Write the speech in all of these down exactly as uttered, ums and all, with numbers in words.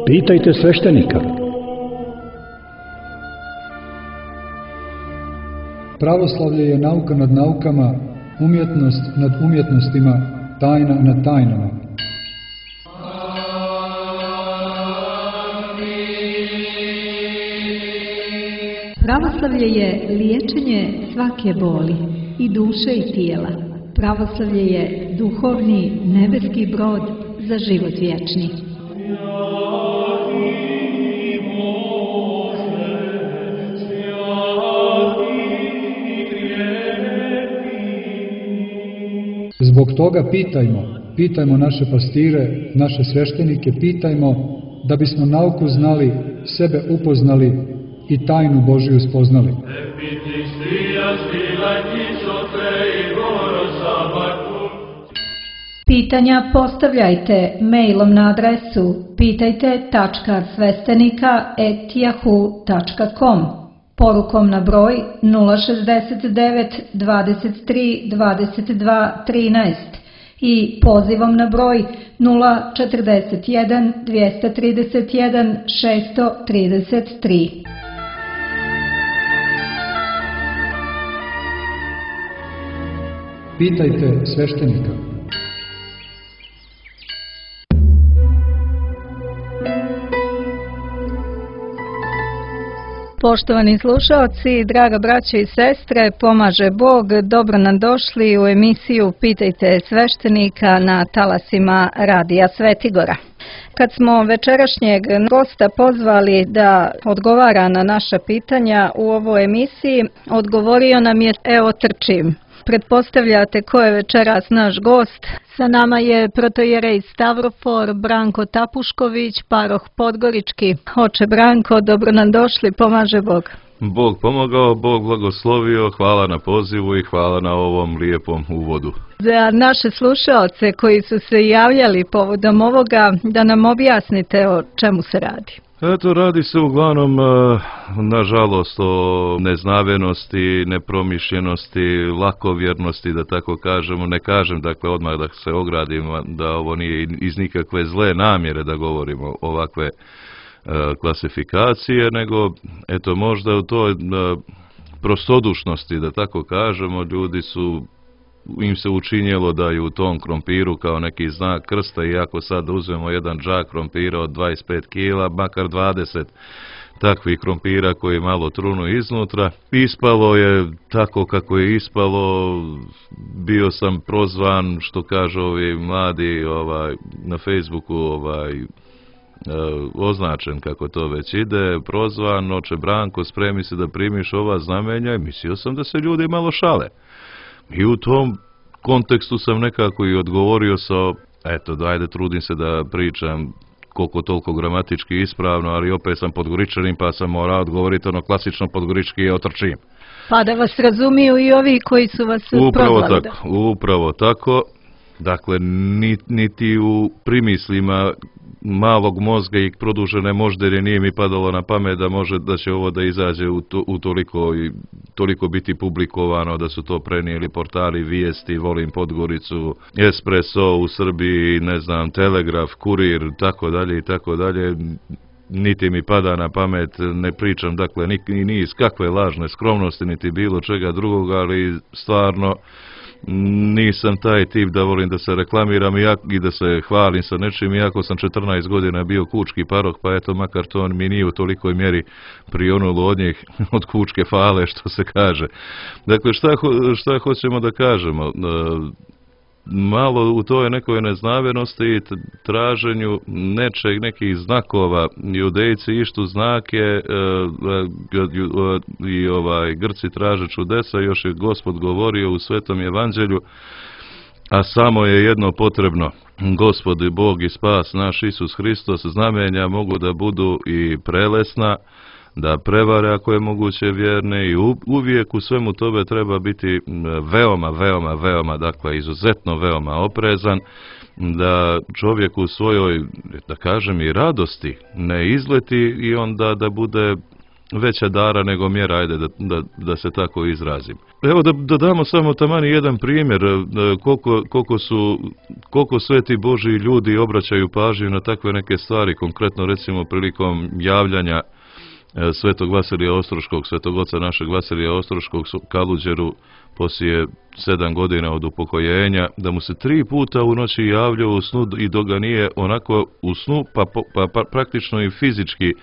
Pitajte sveštenika. Pravoslavlje je nauka nad naukama, umjetnost nad umjetnostima, tajna nad tajnama. Pravoslavlje je liječenje svake boli, i duše i tijela. Pravoslavlje je duhovni nebeski brod za život vječni. Zbog toga pitajmo, pitajmo naše pastire, naše sveštenike, pitajmo da bismo nauku znali, sebe upoznali i tajnu Božiju spoznali. Pitanja postavljajte mailom na adresu pitajte tačka sveštenika et yahoo tačka com, porukom na broj nula šezdeset devet dvadeset tri dvadeset dva trinaest i pozivom na broj nula četrdeset jedan dvjesto trideset jedan šesto trideset tri. Pitajte sveštenika. Poštovani slušaoci, draga braćo i sestre, pomaže Bog, dobro nam došli u emisiju Pitajte sveštenika na talasima Radija Svetigora. Kad smo večerašnjeg gosta pozvali da odgovara na naša pitanja u ovoj emisiji, odgovorio nam je evo trčim. Pretpostavljate ko je večeras naš gost. Sa nama je protojerej Stavrofor Branko Tapušković, paroh Podgorički. Oče Branko, dobro nam došli, pomaže Bog. Bog pomogao, Bog blagoslovio, hvala na pozivu i hvala na ovom lijepom uvodu. Za naše slušaoce koji su se javljali povodom ovoga, da nam objasnite o čemu se radi. Eto, radi se uglavnom, nažalost, o neznavenosti, nepromišljenosti, lakovjernosti, da tako kažemo. Ne kažem, dakle, odmah da se ogradim, da ovo nije iz nikakve zle namjere da govorimo ovakve klasifikacije, nego, eto, možda u toj prostodušnosti, da tako kažemo, ljudi su, im se učinjelo da je u tom krompiru kao neki znak krsta, i ako sad uzmemo jedan džak krompira od dvadeset pet kila, makar dvadeset takvih krompira koji malo trunu iznutra, ispalo je tako kako je ispalo. Bio sam prozvan, što kažu ovi mladi, ovaj, na Facebooku, ovaj, označen, kako to već ide, prozvan, oče Branko, spremi se da primiš ova znamenja, i mislio sam da se ljudi malo šale. I u tom kontekstu sam nekako i odgovorio sa, eto, dajde, trudim se da pričam koliko toliko gramatički ispravno, ali opet sam Podgoričanin, pa sam morao odgovoriti ono klasično podgorički, je otrčim. Pa da vas razumiju i ovi koji su vas upravo prozvali. Tako, da. Upravo tako. Dakle, niti u primislima malog mozga i produžene moždere nije mi padalo na pamet da može da će ovo da izađe u, to, u toliko, toliko biti publikovano, da su to prenijeli portali Vijesti, Volim Podgoricu, Espresso u Srbiji, ne znam, Telegraf, Kurir, tako dalje i tako dalje. Niti mi pada na pamet, ne pričam, dakle, ni, ni iz kakve lažne skromnosti, niti bilo čega drugoga, ali stvarno nisam taj tip da volim da se reklamiram i da se hvalim sa nečim, iako sam četrnaest godina bio kučki paroh, pa eto, makar to mi nije u tolikoj mjeri prionulo od njih, od kučke fale, što se kaže. Dakle, šta, šta hoćemo da kažemo? Malo u toj nekoj neznavenosti i traženju nečeg, nekih znakova, Judejci ištu znake i ovaj Grci traže čudesa, još je Gospod govorio u Svetom evanđelju, a samo je jedno potrebno: Gospod i Bog i spas naš Isus Hristos. Znamenja mogu da budu i prelesna, da prevare ako je moguće vjerne, i uvijek u svemu tome treba biti veoma, veoma, veoma, dakle izuzetno veoma oprezan, da čovjek u svojoj, da kažem, i radosti ne izleti i onda da bude veća dara nego mjera, ajde da, da, da se tako izrazim. Evo da, da damo samo tamani jedan primjer koliko, koliko su, koliko sveti Božji ljudi obraćaju pažnju na takve neke stvari, konkretno recimo prilikom javljanja svetog Vasilija Ostroškog, svetog oca našeg Vasilija Ostroškog Kaluđeru poslije sedam godina od upokojenja, da mu se tri puta u noći javljao u snu i dok ga nije onako u snu, pa, pa, pa praktično i fizički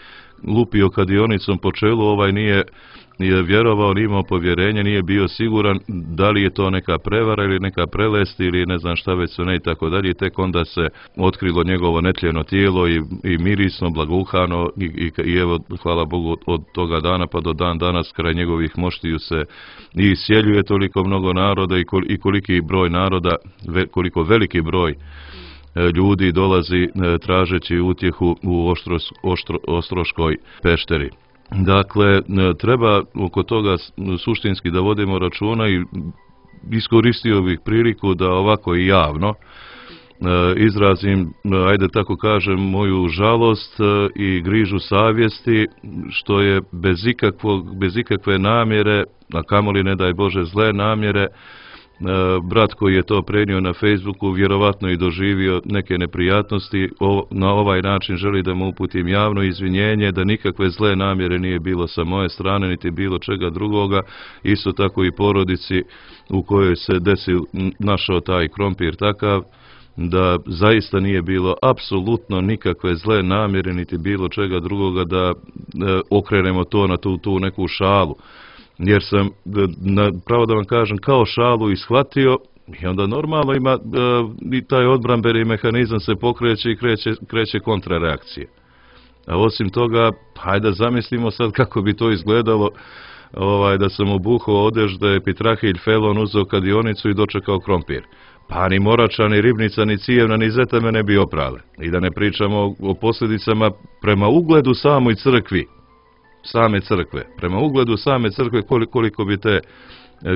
lupio kadionicom po čelu, ovaj nije, nije vjerovao, nije imao povjerenje, nije bio siguran da li je to neka prevara ili neka prelest ili ne znam šta već su ne i tako dalje. Tek onda se otkrilo njegovo netljeno tijelo i, i mirisno, blaguhano i, i, i evo, hvala Bogu, od toga dana pa do dan danas kraj njegovih moštiju se i isjeljuje toliko mnogo naroda i, kol, i koliki broj naroda, ve, koliko veliki broj ljudi dolazi tražeći utjehu u Oštros, Oštro, Ostroškoj pešteri. Dakle, treba oko toga suštinski da vodimo računa i iskoristio bih priliku da ovako i javno izrazim, ajde tako kažem, moju žalost i grižu savjesti, što je bez, ikakvog, bez ikakve namjere, a kamoli ne daj Bože zle namjere, brat koji je to prenio na Facebooku vjerovatno i doživio neke neprijatnosti. O, na ovaj način želi da mu uputim javno izvinjenje, da nikakve zle namjere nije bilo sa moje strane niti bilo čega drugoga, isto tako i porodici u kojoj se desio, našao taj krompir takav, da zaista nije bilo apsolutno nikakve zle namjere niti bilo čega drugoga, da e, okrenemo to na tu, tu neku šalu. Jer sam, na, pravo da vam kažem, kao šalu ishvatio i onda normalno ima e, i taj odbrambeni mehanizam se pokreće i kreće, kreće kontrareakcije. A osim toga, hajde zamislimo sad kako bi to izgledalo, ovaj, da sam obuhao odežde, Pitrahilj, Felon, uzeo kadionicu i dočekao krompir. Pa ni Morača, ni Ribnica, ni Cijevna, ni Zeta me ne bi oprale. I da ne pričamo o, o posljedicama prema ugledu samoj crkvi. Same crkve, prema ugledu same crkve koliko, koliko bi te,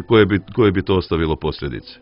koje bi, koje bi to ostavilo posljedice.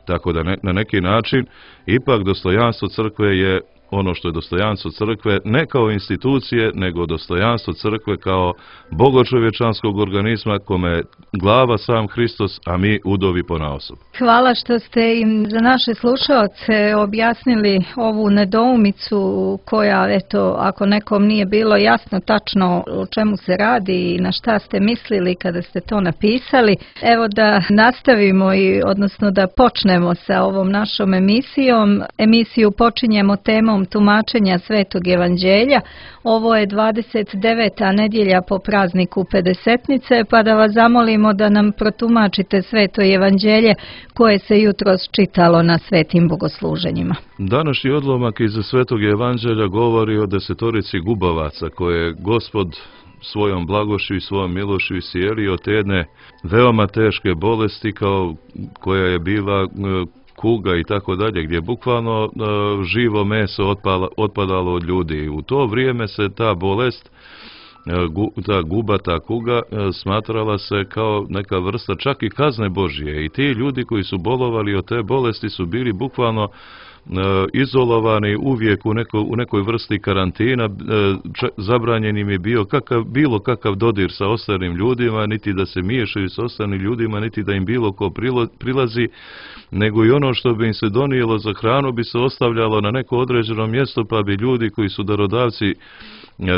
Tako da ne, na neki način ipak dostojanstvo crkve je ono što je dostojanstvo crkve, ne kao institucije, nego dostojanstvo crkve kao bogočovječanskog organizma kome je glava sam Hristos, a mi udovi ponaosob. Hvala što ste im za naše slušaoce objasnili ovu nedoumicu koja, eto, ako nekom nije bilo jasno tačno o čemu se radi i na šta ste mislili kada ste to napisali. Evo da nastavimo i odnosno da počnemo sa ovom našom emisijom. Emisiju počinjemo temom tumačenja Svetog Evanđelja. Ovo je dvadeset deveta nedjelja po prazniku Pedesetnice, pa da vas zamolimo da nam protumačite Sveto Evanđelje koje se jutros čitalo na svetim bogosluženjima. Današnji odlomak iz Svetog Evanđelja govori o desetorici gubavaca koje je Gospod svojom blagošću i svojom milošću iscijelio od jedne veoma teške bolesti kao koja je bila kuga i tako dalje, gdje je bukvalno uh, živo meso otpala, otpadalo od ljudi. U to vrijeme se ta bolest, uh, gu, ta guba, ta kuga, uh, smatrala se kao neka vrsta čak i kazne Božje. I ti ljudi koji su bolovali od te bolesti su bili bukvalno uh, izolovani uvijek u, neko, u nekoj vrsti karantina. Uh, č, zabranjen im je bio kakav, bilo kakav dodir sa ostalim ljudima, niti da se miješaju sa ostalim ljudima, niti da im bilo ko prilo, prilazi, nego i ono što bi im se donijelo za hranu bi se ostavljalo na neko određeno mjesto, pa bi ljudi koji su darodavci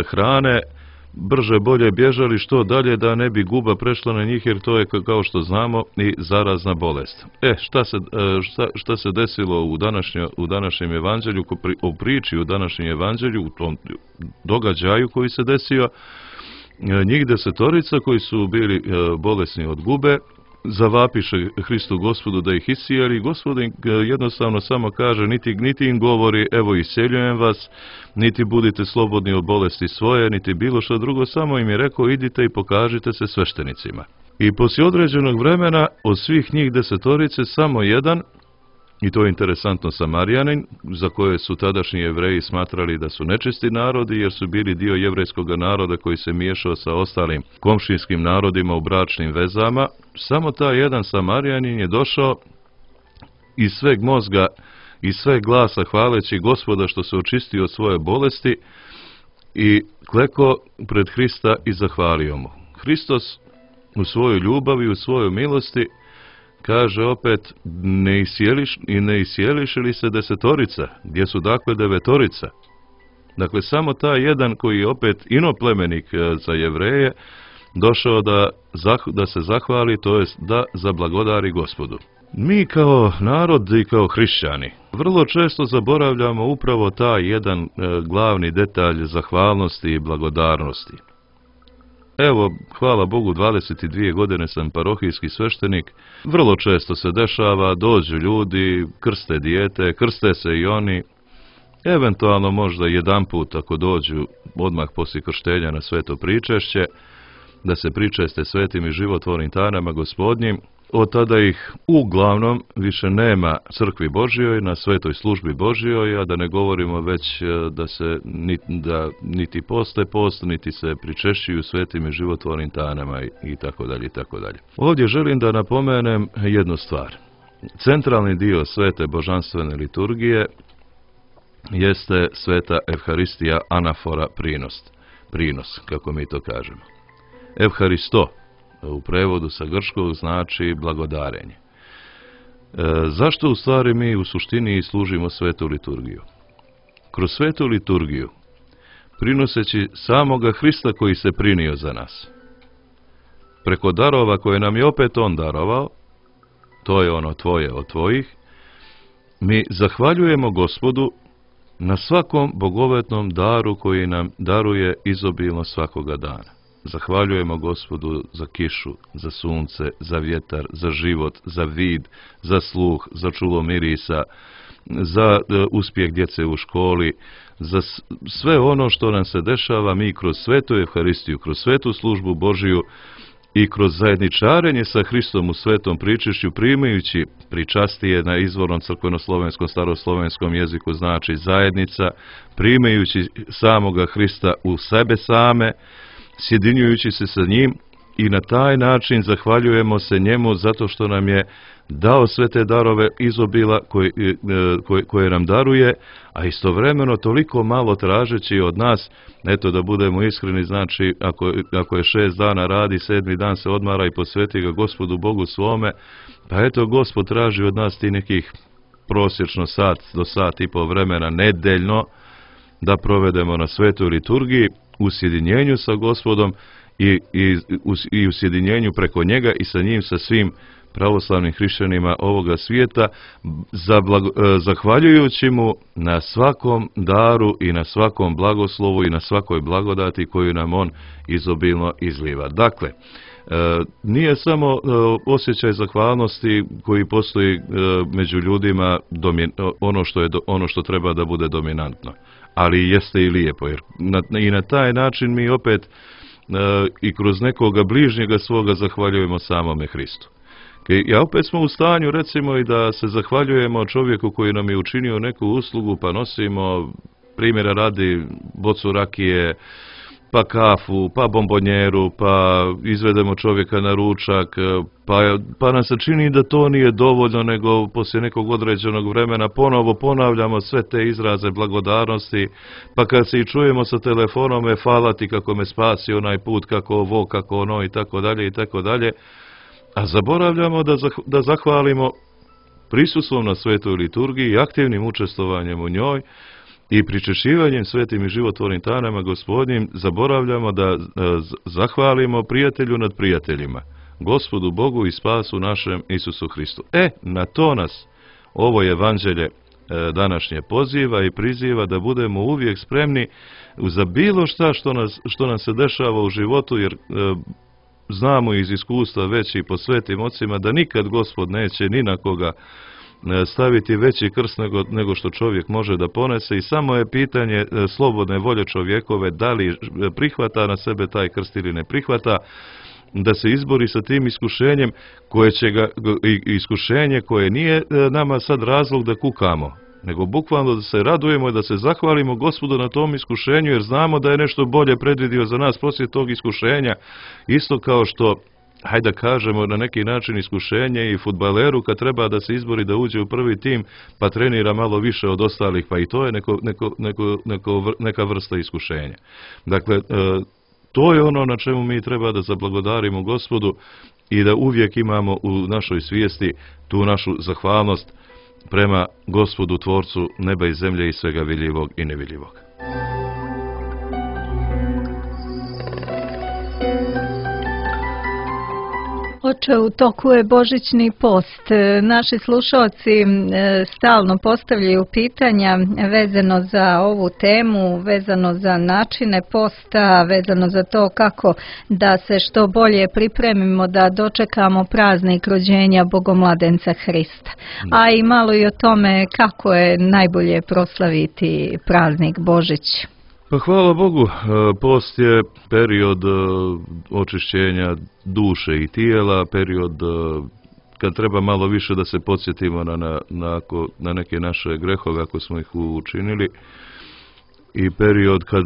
hrane brže bolje bježali što dalje da ne bi guba prešla na njih, jer to je, kao što znamo, i zarazna bolest. E, šta se, šta, šta se desilo u, današnje, u današnjem evanđelju, u priči u današnjem evanđelju, u tom događaju koji se desio? Njih desetorica koji su bili bolesni od gube zavapiše Hristu Gospodu da ih iscijeli. Gospod im jednostavno samo kaže, niti, niti im govori evo isceljujem vas, niti budite slobodni od bolesti svoje, niti bilo što drugo, samo im je rekao idite i pokažite se sveštenicima. I poslije određenog vremena od svih njih desetorice samo jedan, i to je interesantno, Samarijanin, za koje su tadašnji Jevreji smatrali da su nečisti narodi, jer su bili dio jevrejskog naroda koji se miješao sa ostalim komšinskim narodima u bračnim vezama. Samo taj jedan Samarijanin je došao iz sveg mozga, iz sveg glasa hvaleći Gospoda što se očistio od svoje bolesti i kleko pred Hrista i zahvalio mu. Hristos u svojoj ljubavi, u svojoj milosti, kaže opet, ne isjeliš, i ne isjeliši li se desetorica, gdje su dakle devetorica. Dakle, samo taj jedan koji je opet inoplemenik za Jevreje, došao da, da se zahvali, to jest da zablagodari Gospodu. Mi kao narod i kao hrišćani vrlo često zaboravljamo upravo taj jedan e, glavni detalj zahvalnosti i blagodarnosti. Evo, hvala Bogu, dvadeset dvije godine sam parohijski sveštenik. Vrlo često se dešava, dođu ljudi, krste dijete, krste se i oni. Eventualno možda jedan put ako dođu odmah poslije krštenja na sveto pričešće, da se pričeste svetim i životvornim tajnama Gospodnjim. Od tada ih uglavnom više nema crkvi Božjoj, na svetoj službi Božjoj, a da ne govorimo već da se da niti poste post, niti se pričešćuju svetim i životvornim tajnama i tako dalje i tako dalje. Ovdje želim da napomenem jednu stvar. Centralni dio svete božanstvene liturgije jeste sveta Evharistija, anafora, prinos, prinos, kako mi to kažemo. Evharisto u prevodu sa grčkog znači blagodarenje. E, zašto u stvari mi u suštini služimo svetu liturgiju? Kroz svetu liturgiju, prinoseći samoga Hrista koji se prinio za nas, preko darova koje nam je opet on darovao, to je ono tvoje od tvojih, mi zahvaljujemo Gospodu na svakom bogovetnom daru koji nam daruje izobilno svakoga dana. Zahvaljujemo Gospodu za kišu, za sunce, za vjetar, za život, za vid, za sluh, za čulo mirisa, za e, uspjeh djece u školi, za sve ono što nam se dešava. Mi kroz svetu Evharistiju, kroz svetu službu Božiju i kroz zajedničarenje sa Hristom u svetom pričešću, primajući pričastije na izvornom crkveno-slovenskom, staroslovenskom jeziku znači zajednica, primajući samoga Hrista u sebe same, sjedinjujući se sa njim, i na taj način zahvaljujemo se njemu zato što nam je dao sve te darove izobila koje, koje, koje nam daruje, a istovremeno toliko malo tražeći od nas, eto da budemo iskreni, znači ako, ako je šest dana radi, sedmi dan se odmara i posveti ga Gospodu Bogu svome, pa eto Gospod traži od nas ti nekih prosječno sat do sat i pol vremena nedeljno da provedemo na svetoj liturgiji, u sjedinjenju sa Gospodom i, i, u, i u sjedinjenju preko njega i sa njim, sa svim pravoslavnim hrišćanima ovoga svijeta, za blago, zahvaljujući mu na svakom daru i na svakom blagoslovu i na svakoj blagodati koju nam on izobilno izliva. Dakle, nije samo osjećaj zahvalnosti koji postoji među ljudima ono što je ono što treba da bude dominantno, ali jeste i lijepo, jer na, i na taj način mi opet i kroz nekoga bližnjega svoga zahvaljujemo samome Hristu. Ja opet smo u stanju, recimo, i da se zahvaljujemo čovjeku koji nam je učinio neku uslugu, pa nosimo, primjera radi, bocu rakije, pa kafu, pa bombonjeru, pa izvedemo čovjeka na ručak, pa, pa nam se čini da to nije dovoljno, nego poslije nekog određenog vremena ponovo ponavljamo sve te izraze blagodarnosti, pa kad se i čujemo sa telefonom, me hvala ti kako me spasi onaj put, kako ovo, kako ono i tako dalje i tako dalje, a zaboravljamo da, zah, da zahvalimo prisustvom na svetoj liturgiji i aktivnim učestvovanjem u njoj i pričešivanjem svetim i životvornim tajnama Gospodnjim, zaboravljamo da zahvalimo prijatelju nad prijateljima, Gospodu Bogu i spasu našem Isusu Hristu. E, na to nas ovo evanđelje današnje poziva i priziva, da budemo uvijek spremni za bilo šta što, nas, što nam se dešava u životu, jer znamo iz iskustva već i po svetim ocima da nikad Gospod neće ni na koga staviti veći krst nego, nego što čovjek može da ponese, i samo je pitanje slobodne volje čovjekove da li prihvata na sebe taj krst ili ne prihvata, da se izbori sa tim iskušenjem koje će ga, iskušenje koje nije nama sad razlog da kukamo, nego bukvalno da se radujemo i da se zahvalimo Gospodu na tom iskušenju, jer znamo da je nešto bolje predvidio za nas poslije tog iskušenja, isto kao što hajde da kažemo, na neki način iskušenje i fudbaleru kad treba da se izbori da uđe u prvi tim, pa trenira malo više od ostalih, pa i to je neko, neko, neko, neko, neka vrsta iskušenja. Dakle, to je ono na čemu mi treba da zablagodarimo Gospodu i da uvijek imamo u našoj svijesti tu našu zahvalnost prema Gospodu, Tvorcu neba i zemlje i svega vidljivog i nevidljivog. Oče, u toku je božićni post. Naši slušalci stalno postavljaju pitanja vezano za ovu temu, vezano za načine posta, vezano za to kako da se što bolje pripremimo da dočekamo praznik rođenja Bogomladenca Hrista. A i malo i o tome kako je najbolje proslaviti praznik Božić. Pa hvala Bogu, post je period očišćenja duše i tijela, period kad treba malo više da se podsjetimo na, na, na, na neke naše grehove ako smo ih učinili, i period kad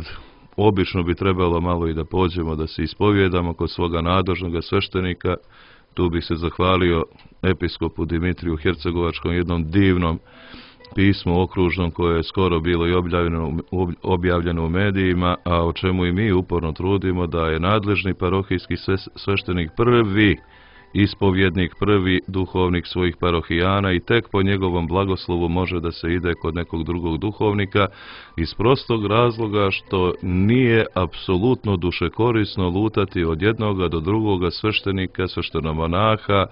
obično bi trebalo malo i da pođemo da se ispovjedamo kod svoga nadležnog sveštenika. Tu bih se zahvalio episkopu Dimitriju Hercegovačkom, jednom divnom pismu okružnom koje je skoro bilo i objavljeno, objavljeno u medijima, a o čemu i mi uporno trudimo, da je nadležni parohijski sveštenik prvi ispovjednik, prvi duhovnik svojih parohijana i tek po njegovom blagoslovu može da se ide kod nekog drugog duhovnika, iz prostog razloga što nije apsolutno dušekorisno lutati od jednoga do drugoga sveštenika, sveštenomonaha,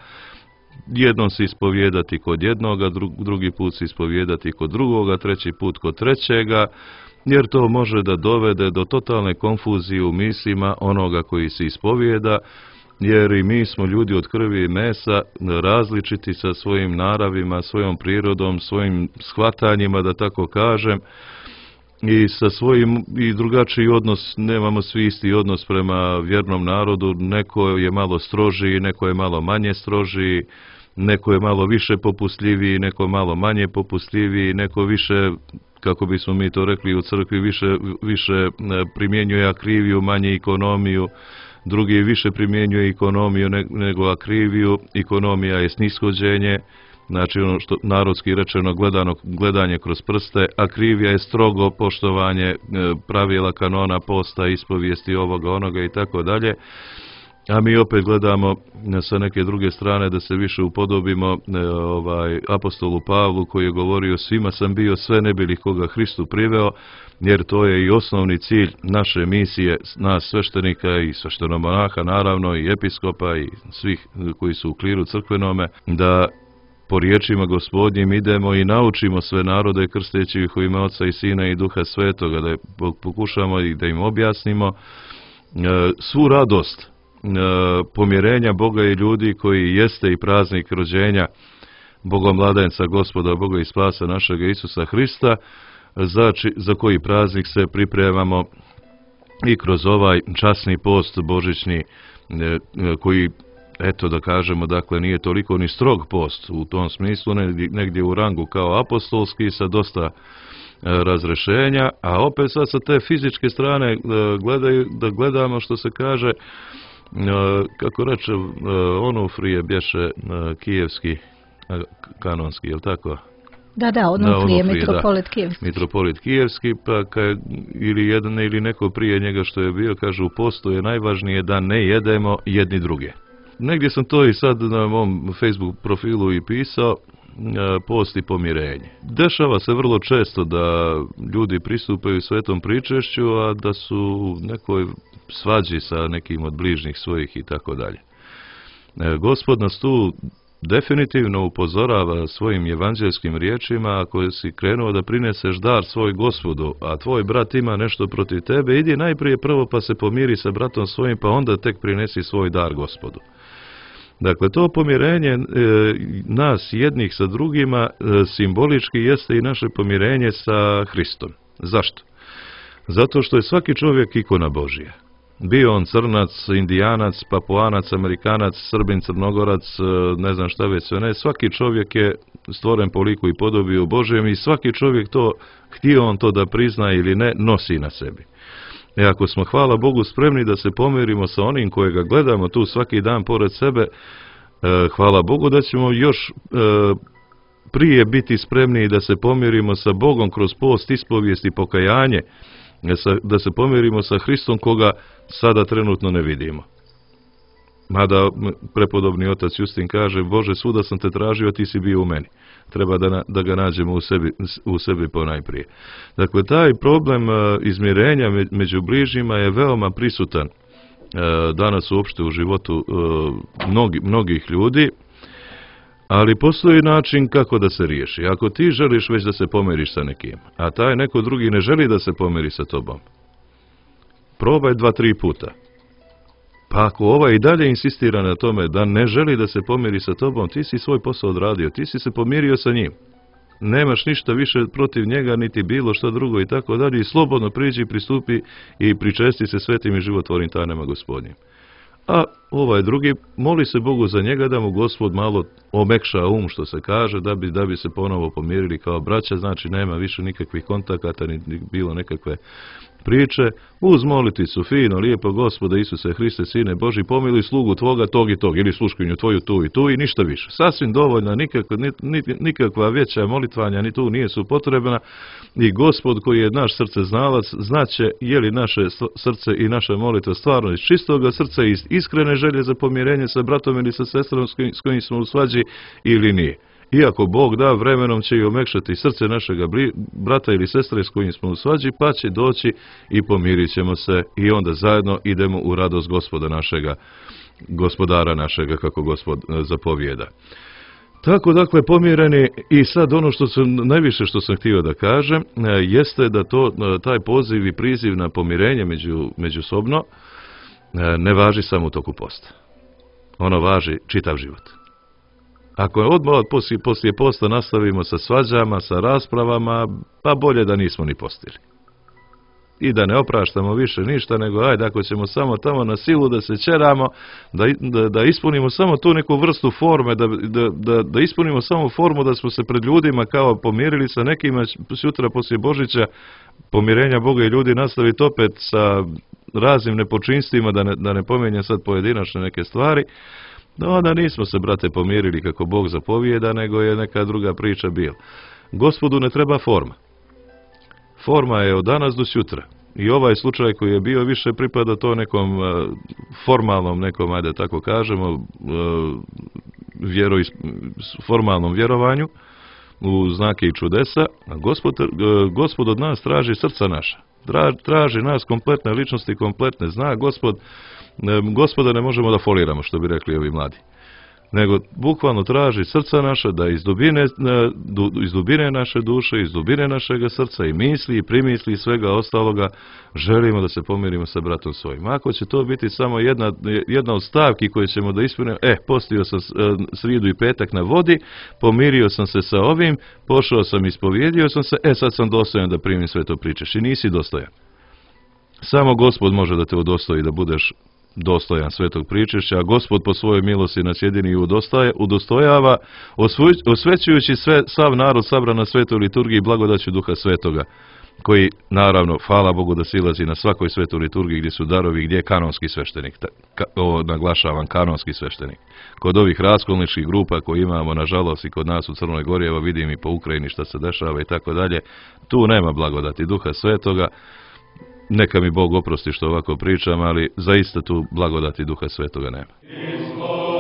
jednom se ispovijedati kod jednoga, drugi put se ispovijedati kod drugoga, treći put kod trećega, jer to može da dovede do totalne konfuzije u mislima onoga koji se ispovijeda, jer i mi smo ljudi od krvi i mesa, različiti sa svojim naravima, svojom prirodom, svojim shvatanjima, da tako kažem, i sa svojim i drugačiji odnos, nemamo svi isti odnos prema vjernom narodu, neko je malo strožiji, neko je malo manje strožiji, neko je malo više popustljiviji, neko malo manje popustljiviji, neko više, kako bismo mi to rekli u crkvi, više, više primjenjuje akriviju, manje ekonomiju, drugi više primjenjuje ekonomiju nego akriviju, ekonomija je snishođenje, znači ono što narodski rečeno gledano, gledanje kroz prste, akrivija je strogo poštovanje pravila kanona posta, ispovijesti ovoga, onoga i tako dalje. A mi opet gledamo sa neke druge strane da se više upodobimo ovaj, apostolu Pavlu koji je govorio svima sam bio, sve ne bi li koga Hristu priveo, jer to je i osnovni cilj naše misije, nas sveštenika i sveštenomonaha naravno i episkopa i svih koji su u kliru crkvenome, da po riječima Gospodnjim idemo i naučimo sve narode krsteći ih u ime Oca i Sina i Duha Svetoga, da pokušamo i da im objasnimo svu radost pomjerenja Boga i ljudi koji jeste i praznik rođenja Bogomladenca Gospoda Boga i Spasa našega Isusa Hrista, za, či, za koji praznik se pripremamo i kroz ovaj časni post božićni koji, eto da kažemo, dakle nije toliko ni strog post u tom smislu, negdje, negdje u rangu kao apostolski sa dosta razrešenja, a opet sad sa te fizičke strane gledaju, da gledamo što se kaže, kako reče Onufrije bješe kijevski kanonski, je li tako? Da, da, Onufrije, mitropolit kijevski. Mitropolit kijevski, pa kaj, ili jedan ili neko prije njega što je bio, kaže u postu je najvažnije da ne jedemo jedni druge. Negdje sam to i sad na mom Facebook profilu i pisao, post i pomirenje. Dešava se vrlo često da ljudi pristupaju svetom pričešću, a da su u nekoj svađi sa nekim od bližnjih svojih i tako dalje. Gospod nas tu definitivno upozorava svojim evanđelskim riječima: ako si krenuo da prineseš dar svoj Gospodu, a tvoj brat ima nešto protiv tebe, idi najprije prvo pa se pomiri sa bratom svojim, pa onda tek prinesi svoj dar Gospodu. Dakle, to pomirenje e, nas jednih sa drugima e, simbolički jeste i naše pomirenje sa Hristom. Zašto? Zato što je svaki čovjek ikona Božija. Bio on crnac, indijanac, papuanac, amerikanac, srbin, crnogorac, ne znam šta već sve ne. Svaki čovjek je stvoren po liku i podobi u Božjem i svaki čovjek to, htio on to da prizna ili ne, nosi na sebi. I ako smo, hvala Bogu, spremni da se pomirimo sa onim kojega gledamo tu svaki dan pored sebe, hvala Bogu da ćemo još prije biti spremni da se pomirimo sa Bogom kroz post, ispovijest i pokajanje, da se pomirimo sa Hristom koga sada trenutno ne vidimo. Mada prepodobni otac Justin kaže, Bože, svuda sam te tražio, ti si bio u meni. Treba da, da ga nađemo u sebi, u sebi ponajprije. Dakle, taj problem izmirenja među bližnjima je veoma prisutan danas uopšte u životu mnogi, mnogih ljudi, ali postoji način kako da se riješi. Ako ti želiš već da se pomiriš sa nekim, a taj neko drugi ne želi da se pomiri sa tobom, probaj dva, tri puta. Pa ako ovaj i dalje insistira na tome da ne želi da se pomiri sa tobom, ti si svoj posao odradio, ti si se pomirio sa njim. Nemaš ništa više protiv njega, niti bilo što drugo i tako dalje. I slobodno priđi, pristupi i pričesti se svetim i životvornim tajnama Gospodnjim. A ovaj drugi, moli se Bogu za njega da mu Gospod malo omekša um, što se kaže, da bi, da bi se ponovo pomirili kao braća. Znači nema više nikakvih kontakata, ni bilo nekakve priče, uz moliticu fino, lijepo, Gospoda Isuse Hriste, Sine Boži, pomiluj slugu tvoga tog i tog, ili sluškinju tvoju tu i tu i ništa više. Sasvim dovoljna, nikakva, nikakva veća molitvanja ni tu nije su potrebna i Gospod koji je naš srce znalac, znaće je li naše srce i naša molitva stvarno iz čistoga srca, iz iskrene želje za pomirenje sa bratom ili sa sestrom s kojim smo u svađi ili nije. Iako Bog da, vremenom će i omekšati srce našega brata ili sestre s kojim smo u svađi, pa će doći i pomirit ćemo se i onda zajedno idemo u radost Gospoda našega, Gospodara našega, kako Gospod zapovijeda. Tako, dakle, pomireni, i sad ono što sam, najviše što sam htio da kažem, jeste da to, taj poziv i priziv na pomirenje među, međusobno ne važi samo u toku posta. Ono važi čitav život. Ako odmah poslije, poslije posta nastavimo sa svađama, sa raspravama, pa bolje da nismo ni postili. I da ne opraštamo više ništa, nego ajde, ako ćemo samo tamo na silu da se čeramo, da, da, da ispunimo samo tu neku vrstu forme, da, da, da, da ispunimo samo formu da smo se pred ljudima kao pomirili sa nekima, sutra poslije Božića pomirenja Boga i ljudi nastaviti opet sa raznim nepočinstvima, da ne, da ne pomenjam sad pojedinačne neke stvari. No, onda nismo se, brate, pomirili kako Bog zapovijeda, nego je neka druga priča bila. Gospodu ne treba forma. Forma je od danas do sutra. I ovaj slučaj koji je bio više pripada to nekom uh, formalnom, nekom, ajde tako kažemo, uh, vjero, formalnom vjerovanju u znake i čudesa. A Gospod, uh, Gospod od nas traži srca naša. Traži nas kompletne ličnosti, kompletne. Zna Gospod, Gospoda ne možemo da foliramo, što bi rekli ovi mladi. Nego bukvalno traži srca naša, da iz dubine, iz dubine naše duše, iz dubine našega srca i misli i primisli i svega ostaloga želimo da se pomirimo sa bratom svojim. Ako će to biti samo jedna, jedna od stavki koje ćemo da ispunimo, eh, postio sam srijedu i petak na vodi, pomirio sam se sa ovim, pošao sam, ispovjedio sam se, e sad sam dostojan da primim sve to pričeš. I nisi dostojan. Samo Gospod može da te udostoji da budeš dostojan svetog pričešća, a Gospod po svojoj milosti nas jedini udostojava, osvećujući sve, sav narod sabran na svetoj liturgiji blagodaću Duha Svetoga, koji, naravno, hvala Bogu da silazi na svakoj svetoj liturgiji gdje su darovi, gdje je kanonski sveštenik, ka, ovo naglašavam, kanonski sveštenik. Kod ovih raskolničkih grupa koje imamo, nažalost, i kod nas u Crnoj Gori, evo vidim i po Ukrajini šta se dešava i tako dalje, tu nema blagodati Duha Svetoga. Neka mi Bog oprosti što ovako pričam, ali zaista tu blagodati Duha Svetoga nema. Oh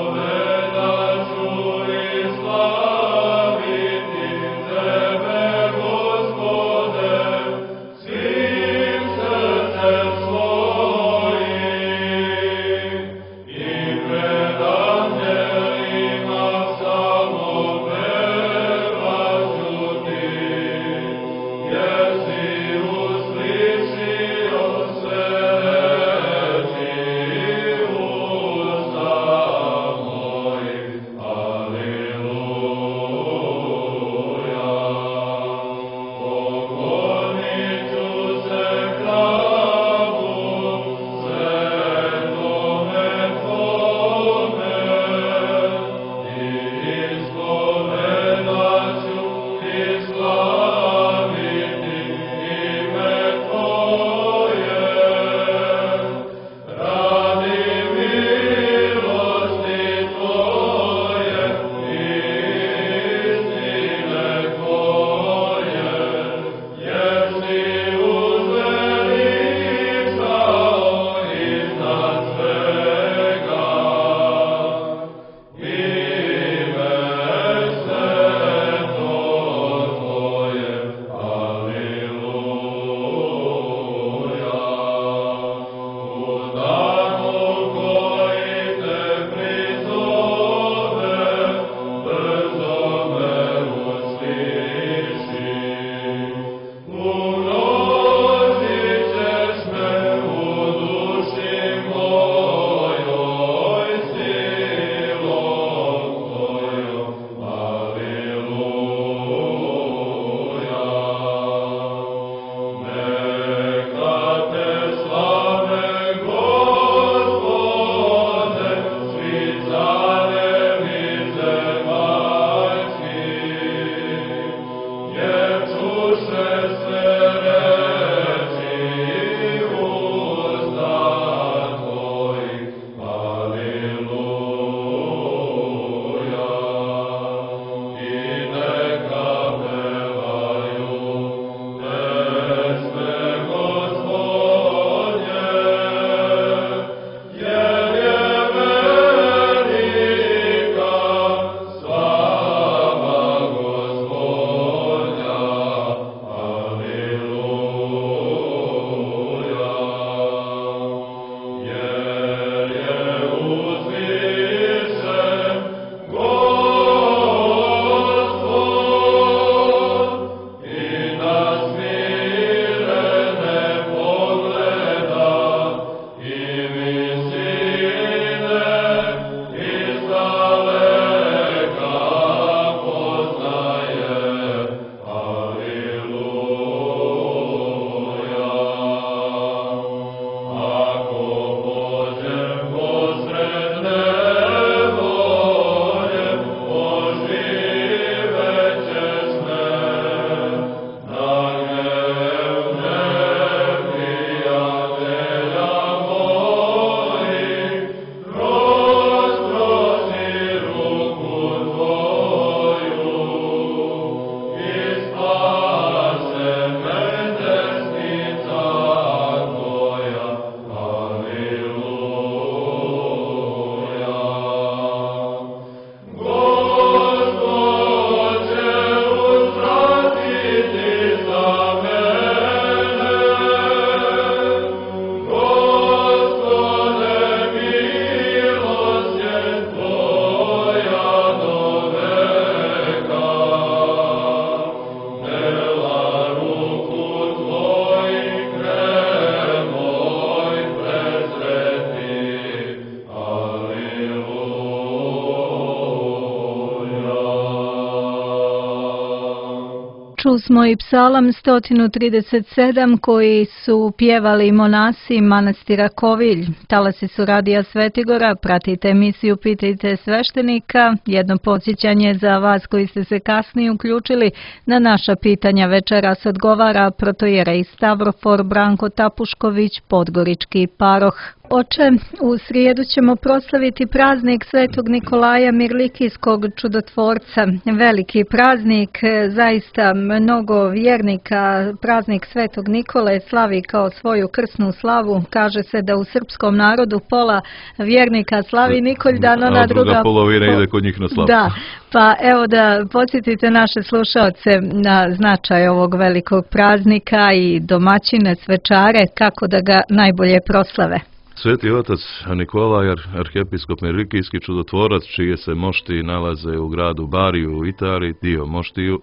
Čusmo i psalam sto trideset sedam koji su pjevali monasi manastira Kovilj. Talasi su Radija Svetigora, pratite emisiju Pitajte sveštenika. Jedno podsjećanje za vas koji ste se kasnije uključili. Na naša pitanja večeras odgovara protojerej Stavrofor Branko Tapušković, podgorički paroh. Oče, u srijedu ćemo proslaviti praznik Svetog Nikolaja Mirlikijskog čudotvorca. Veliki praznik, zaista mnogo vjernika praznik Svetog Nikole slavi kao svoju krsnu slavu. Kaže se da u srpskom narodu pola vjernika slavi Nikoljdan, ona a druga, druga polovina po... ide kod njih na slavu. Da, pa evo da podsjetite naše slušaoce na značaj ovog velikog praznika i domaćine, svečare, kako da ga najbolje proslave. Sveti otac Nikolaj, arhijepiskop Mirlikijski čudotvorac, čije se mošti nalaze u gradu Bariju u Italiji, dio moštiju.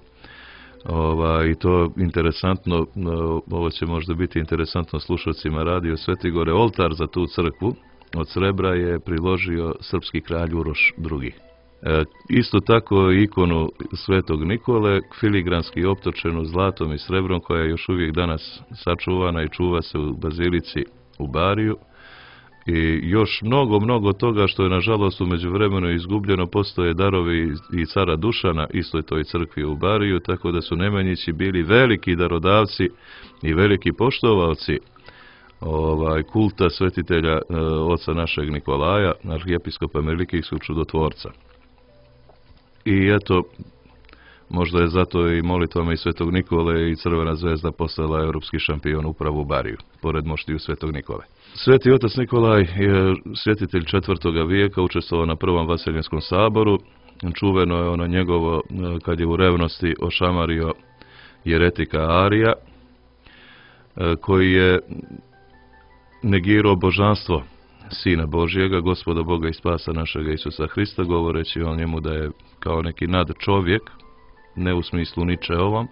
Ova, I to interesantno, ovo će možda biti interesantno slušalcima Radio Svetigore, oltar za tu crkvu od srebra je priložio srpski kralj Uroš drugi. E, isto tako ikonu Svetog Nikole, filigranski optočenu zlatom i srebrom, koja je još uvijek danas sačuvana i čuva se u bazilici u Bariju. I još mnogo, mnogo toga što je nažalost u međuvremenu izgubljeno, postoje darovi i cara Dušana, istoj toj crkvi u Bariju, tako da su Nemanjići bili veliki darodavci i veliki poštovalci ovaj, kulta svetitelja e, oca našeg Nikolaja, arhijepiskopa Mirlikijskog čudotvorca. I eto, možda je zato i molitvama i Svetog Nikole i Crvena zvezda postala europski šampion upravo u Bariju, pored moštiju Svetog Nikole. Sveti otac Nikolaj je svjetitelj četvrtoga vijeka, učestvovao na prvom Vaseljinskom saboru. Čuveno je ono njegovo, kad je u revnosti ošamario jeretika Arija, koji je negirao božanstvo Sina Božjega, Gospoda Boga i spasa našega Isusa Hrista, govoreći o njemu da je kao neki nadčovjek, ne u smislu Ničeovom,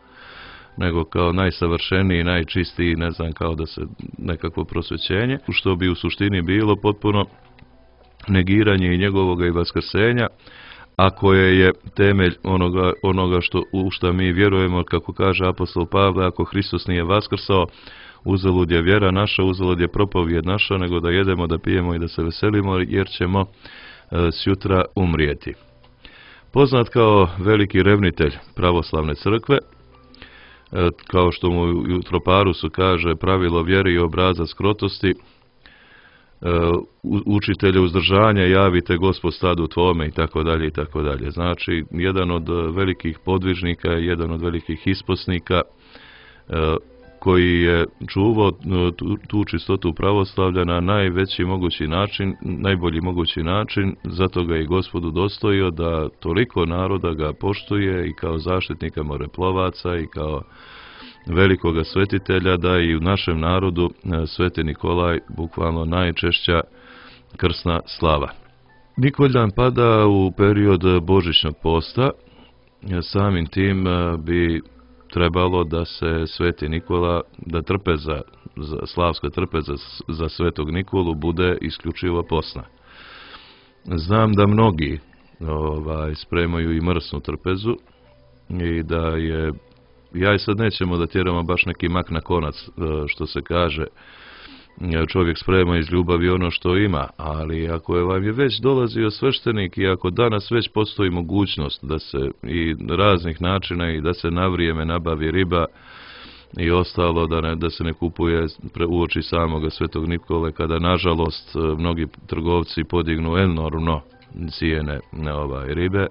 nego kao najsavršeniji, najčistiji, ne znam, kao da se nekakvo prosvećenje, što bi u suštini bilo potpuno negiranje i njegovoga i vaskrsenja, a koje je temelj onoga, onoga što, u što mi vjerujemo, kako kaže apostol Pavle, ako Hristos nije vaskrsao, uzalud je vjera naša, uzalud je propovijed naša, nego da jedemo, da pijemo i da se veselimo, jer ćemo e, sjutra umrijeti. Poznat kao veliki revnitelj pravoslavne crkve, kao što mu u Troparusu kaže, pravilo vjere i obrazac krotosti, učitelje uzdržanja, javite Gospod stadu tvome i tako dalje i tako dalje. Znači, jedan od velikih podvižnika, jedan od velikih isposnika koji je čuvao tu, tu čistotu pravoslavlja na najveći mogući način, najbolji mogući način, zato ga i Gospodu dostojio da toliko naroda ga poštuje i kao zaštitnika moreplovaca i kao velikoga svetitelja, da i u našem narodu Sveti Nikolaj bukvalno najčešća krsna slava. Nikoljdan pada u period božićnog posta, samim tim bi trebalo da se Sveti Nikola, da trpeza, slavska trpeza za Svetog Nikolu bude isključivo posna. Znam da mnogi ovaj, spremaju i mrsnu trpezu i da je, ja i sad nećemo da tjeramo baš neki mak na konac, što se kaže, čovjek sprema iz ljubavi ono što ima, ali ako je vam je već dolazio sveštenik i ako danas već postoji mogućnost da se i raznih načina i da se na vrijeme nabavi riba i ostalo, da, ne, da se ne kupuje uoči samoga Svetog Nikole, kada nažalost mnogi trgovci podignu enormno cijene ovaj, ribe,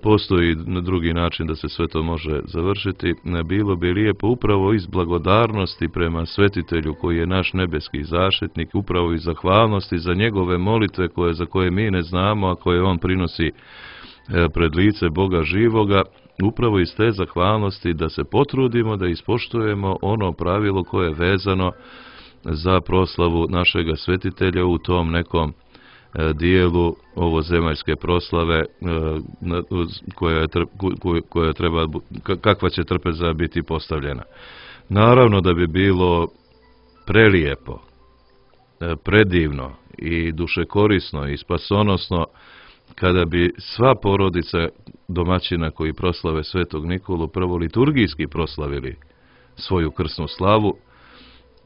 postoji na drugi način da se sve to može završiti. Bilo bi lijepo upravo iz blagodarnosti prema svetitelju koji je naš nebeski zaštitnik, upravo iz zahvalnosti za njegove molitve koje, za koje mi ne znamo, a koje on prinosi pred lice Boga živoga, upravo iz te zahvalnosti da se potrudimo da ispoštujemo ono pravilo koje je vezano za proslavu našega svetitelja u tom nekom dijelu ovozemaljske proslave koja, koja treba, kakva će trpeza biti postavljena. Naravno da bi bilo prelijepo, predivno i dušekorisno i spasonosno kada bi sva porodica domaćina koji proslave Svetog Nikolu prvo liturgijski proslavili svoju krsnu slavu.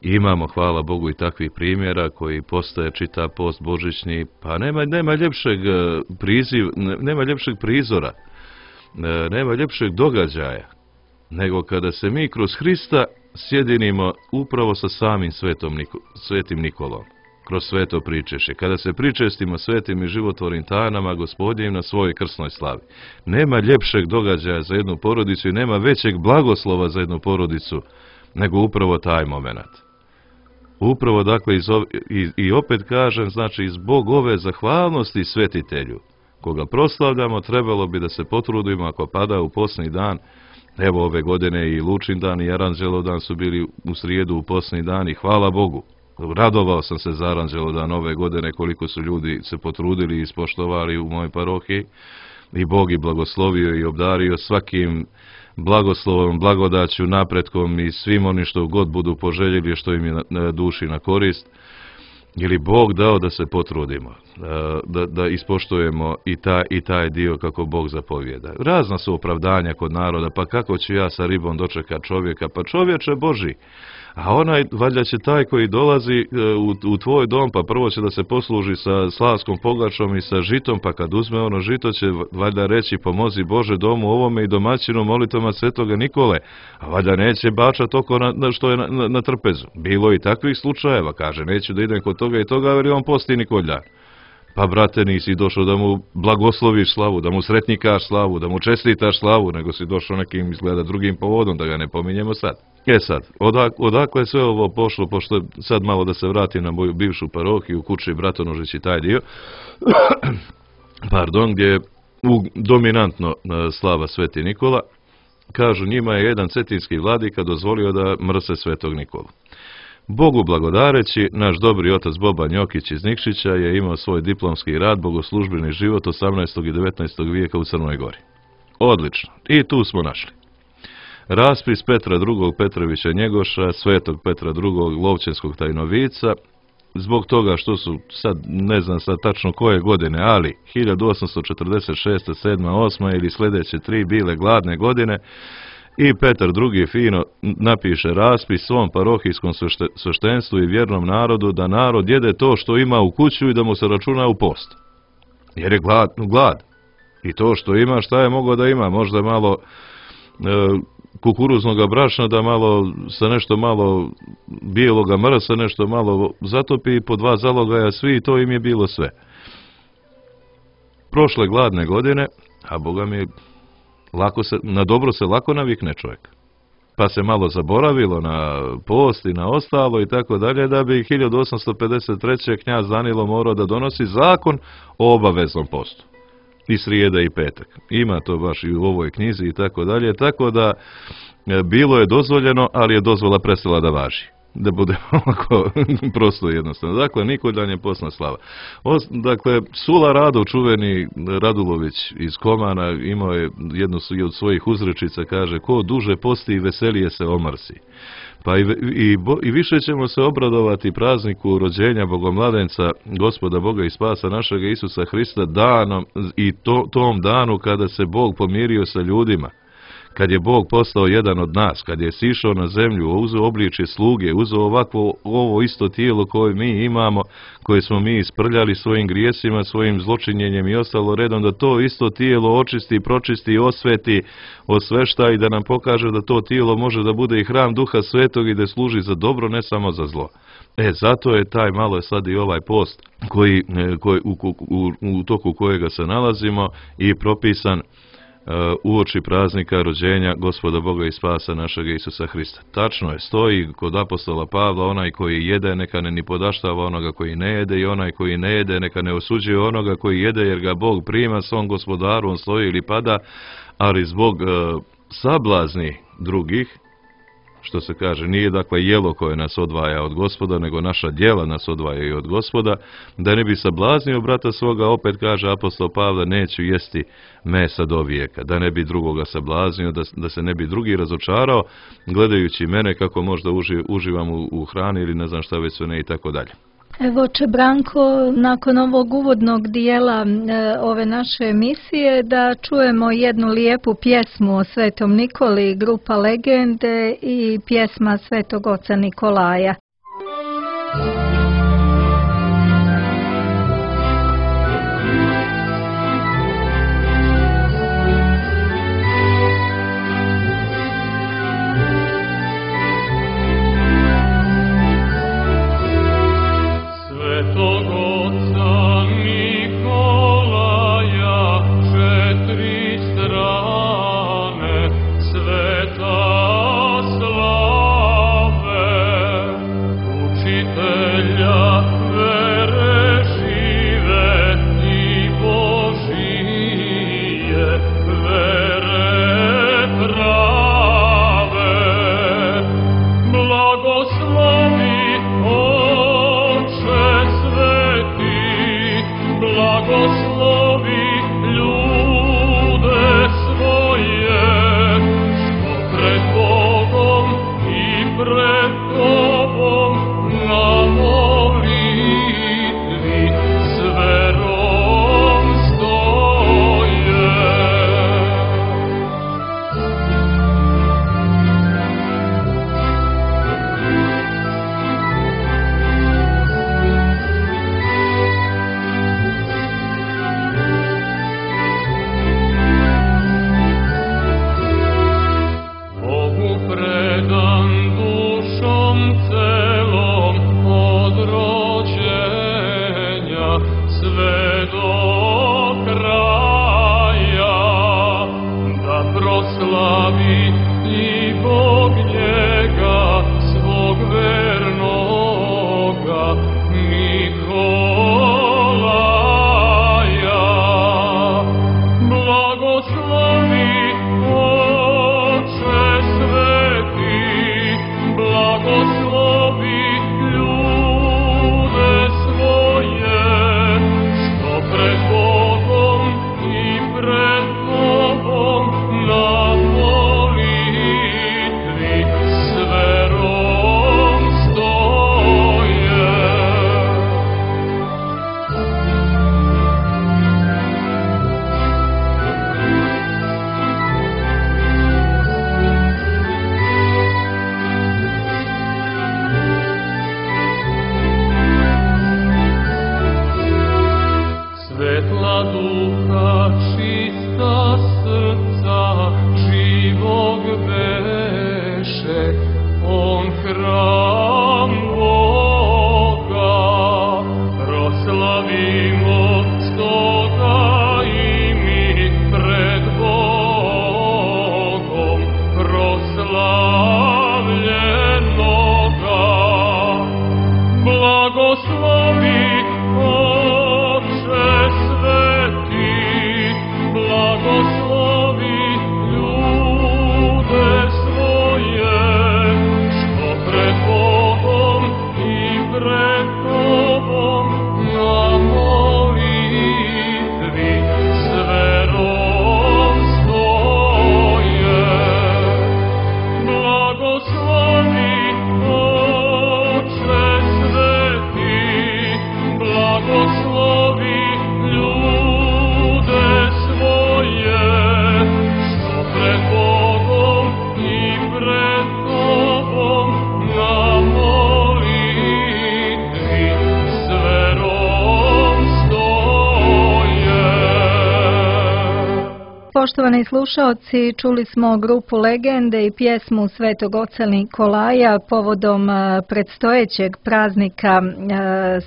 Imamo, hvala Bogu, i takvih primjera koji postaje čita post božićni, pa nema, nema ljepšeg priziv, nema ljepšeg prizora, nema ljepšeg događaja, nego kada se mi kroz Hrista sjedinimo upravo sa samim svetom Niko, svetim Nikolom, kroz sveto pričešće, kada se pričestimo svetim i životvornim tajnama Gospodnjim na svojoj krsnoj slavi. Nema ljepšeg događaja za jednu porodicu i nema većeg blagoslova za jednu porodicu nego upravo taj moment. Upravo, dakle, iz ove, i, i opet kažem, znači, zbog ove zahvalnosti svetitelju, koga proslavljamo, trebalo bi da se potrudimo ako pada u posni dan. Evo, ove godine i Lučin dan i Aranđelov su bili u srijedu u posni dan i hvala Bogu. Radovao sam se za Aranđelov dan ove godine, koliko su ljudi se potrudili i ispoštovali u mojoj parohiji. I Bog i blagoslovio i obdario svakim blagoslovom, blagodaću, napretkom i svim onim što god budu poželjeli, što im je na duši na korist. Ili Bog dao da se potrudimo, da, da ispoštujemo i taj, i taj dio kako Bog zapovijeda. Razna su opravdanja kod naroda, pa kako ću ja sa ribom dočekat čovjeka, pa čovječe Boži, a onaj, valjda će taj koji dolazi u, u tvoj dom, pa prvo će da se posluži sa slavskom pogačom i sa žitom, pa kad uzme ono žito će valjda reći pomozi Bože domu ovome i domaćinu molitvama Svetoga Nikole, a valjda neće bačat oko na, na što je na, na, na trpezu. Bilo i takvih slučajeva, kaže, neću da idem kod toga i toga, jer on posti Nikoljan. Pa, brate, nisi došao da mu blagosloviš slavu, da mu sretnikaš slavu, da mu čestitaš slavu, nego si došao nekim, izgleda, drugim povodom, da ga ne pominjemo sad. E sad, odak, odakle je sve ovo pošlo, pošto sad malo da se vratim na moju bivšu parohiju, u kući Bratonožić i taj dio, pardon, gdje je u, dominantno slava Sveti Nikola, kažu, njima je jedan cetinski vladika dozvolio da mrse Svetog Nikolu. Bogu blagodareći, naš dobri otac Boban Jokić iz Nikšića je imao svoj diplomski rad, bogoslužbeni život osamnaestog i devetnaestog vijeka u Crnoj Gori. Odlično. I tu smo našli. Raspis Petra drugog. Petrovića Njegoša, Svetog Petra drugog. Lovćenskog tajnovica, zbog toga što su, sad ne znam sad tačno koje godine, ali hiljadu osamsto četrdeset šeste, sedma, osma ili sljedeće tri bile gladne godine, i Petar drugi fino napiše raspis svom parohijskom sveštenstvu i vjernom narodu da narod jede to što ima u kuću i da mu se računa u post. Jer je glad, glad. I to što ima, šta je mogao da ima? Možda malo e, kukuruznog brašna, da malo sa nešto malo bijeloga mrsa, nešto malo zatopi, po dva zalogaja svi, i to im je bilo sve. Prošle gladne godine, a Boga mi lako se, na dobro se lako navikne čovjek. Pa se malo zaboravilo na post i na ostalo i tako dalje, da bi hiljadu osamsto pedeset treće knjaz Danilo morao da donosi zakon o obaveznom postu. I srijeda i petak. Ima to baš i u ovoj knjizi i tako dalje, tako da bilo je dozvoljeno, ali je dozvola prestala da važi. Da bude ovako prosto i jednostavno. Dakle, Nikoljan je postna slava. Os, dakle, Sula Rado, čuveni Radulović iz Komana, imao je jednu od svojih uzrečica, kaže, ko duže posti i veselije se omrsi. Pa i, i, i više ćemo se obradovati prazniku rođenja Bogomladenca, Gospoda Boga i Spasa našega Isusa Hrista, danom i to, tom danu kada se Bog pomirio sa ljudima. Kad je Bog postao jedan od nas, kad je sišao na zemlju, uzeo obličje sluge, uzeo ovakvo ovo isto tijelo koje mi imamo, koje smo mi isprljali svojim grijesima, svojim zločinjenjem i ostalo redom, da to isto tijelo očisti, pročisti, osveti, osvešta i da nam pokaže da to tijelo može da bude i hram Duha Svetog i da služi za dobro, ne samo za zlo. E, zato je taj, malo je sad i ovaj post koji, koji, u, u, u toku kojega se nalazimo i propisan uoči praznika rođenja Gospoda Boga i Spasa našega Isusa Hrista. Tačno je, stoji kod apostola Pavla, onaj koji jede neka ne ni podaštava onoga koji ne jede, i onaj koji ne jede neka ne osuđuje onoga koji jede, jer ga Bog prima svom Gospodaru, on stoji ili pada, ali zbog uh, sablazni drugih, što se kaže, nije dakle jelo koje nas odvaja od Gospoda, nego naša djela nas odvajaju od Gospoda, da ne bi sablaznio brata svoga, opet kaže apostol Pavle, neću jesti mesa do vijeka, da ne bi drugoga sablaznio, da, da se ne bi drugi razočarao, gledajući mene kako možda uži, uživam u, u hrani ili ne znam šta već sve ne i tako dalje. Evo, oče Branko, nakon ovog uvodnog dijela e, ove naše emisije da čujemo jednu lijepu pjesmu o Svetom Nikoli, grupa Legende i pjesma Svetog oca Nikolaja. Poštovani slušaoci, čuli smo grupu Legende i pjesmu Svetog oca Nikolaja povodom predstojećeg praznika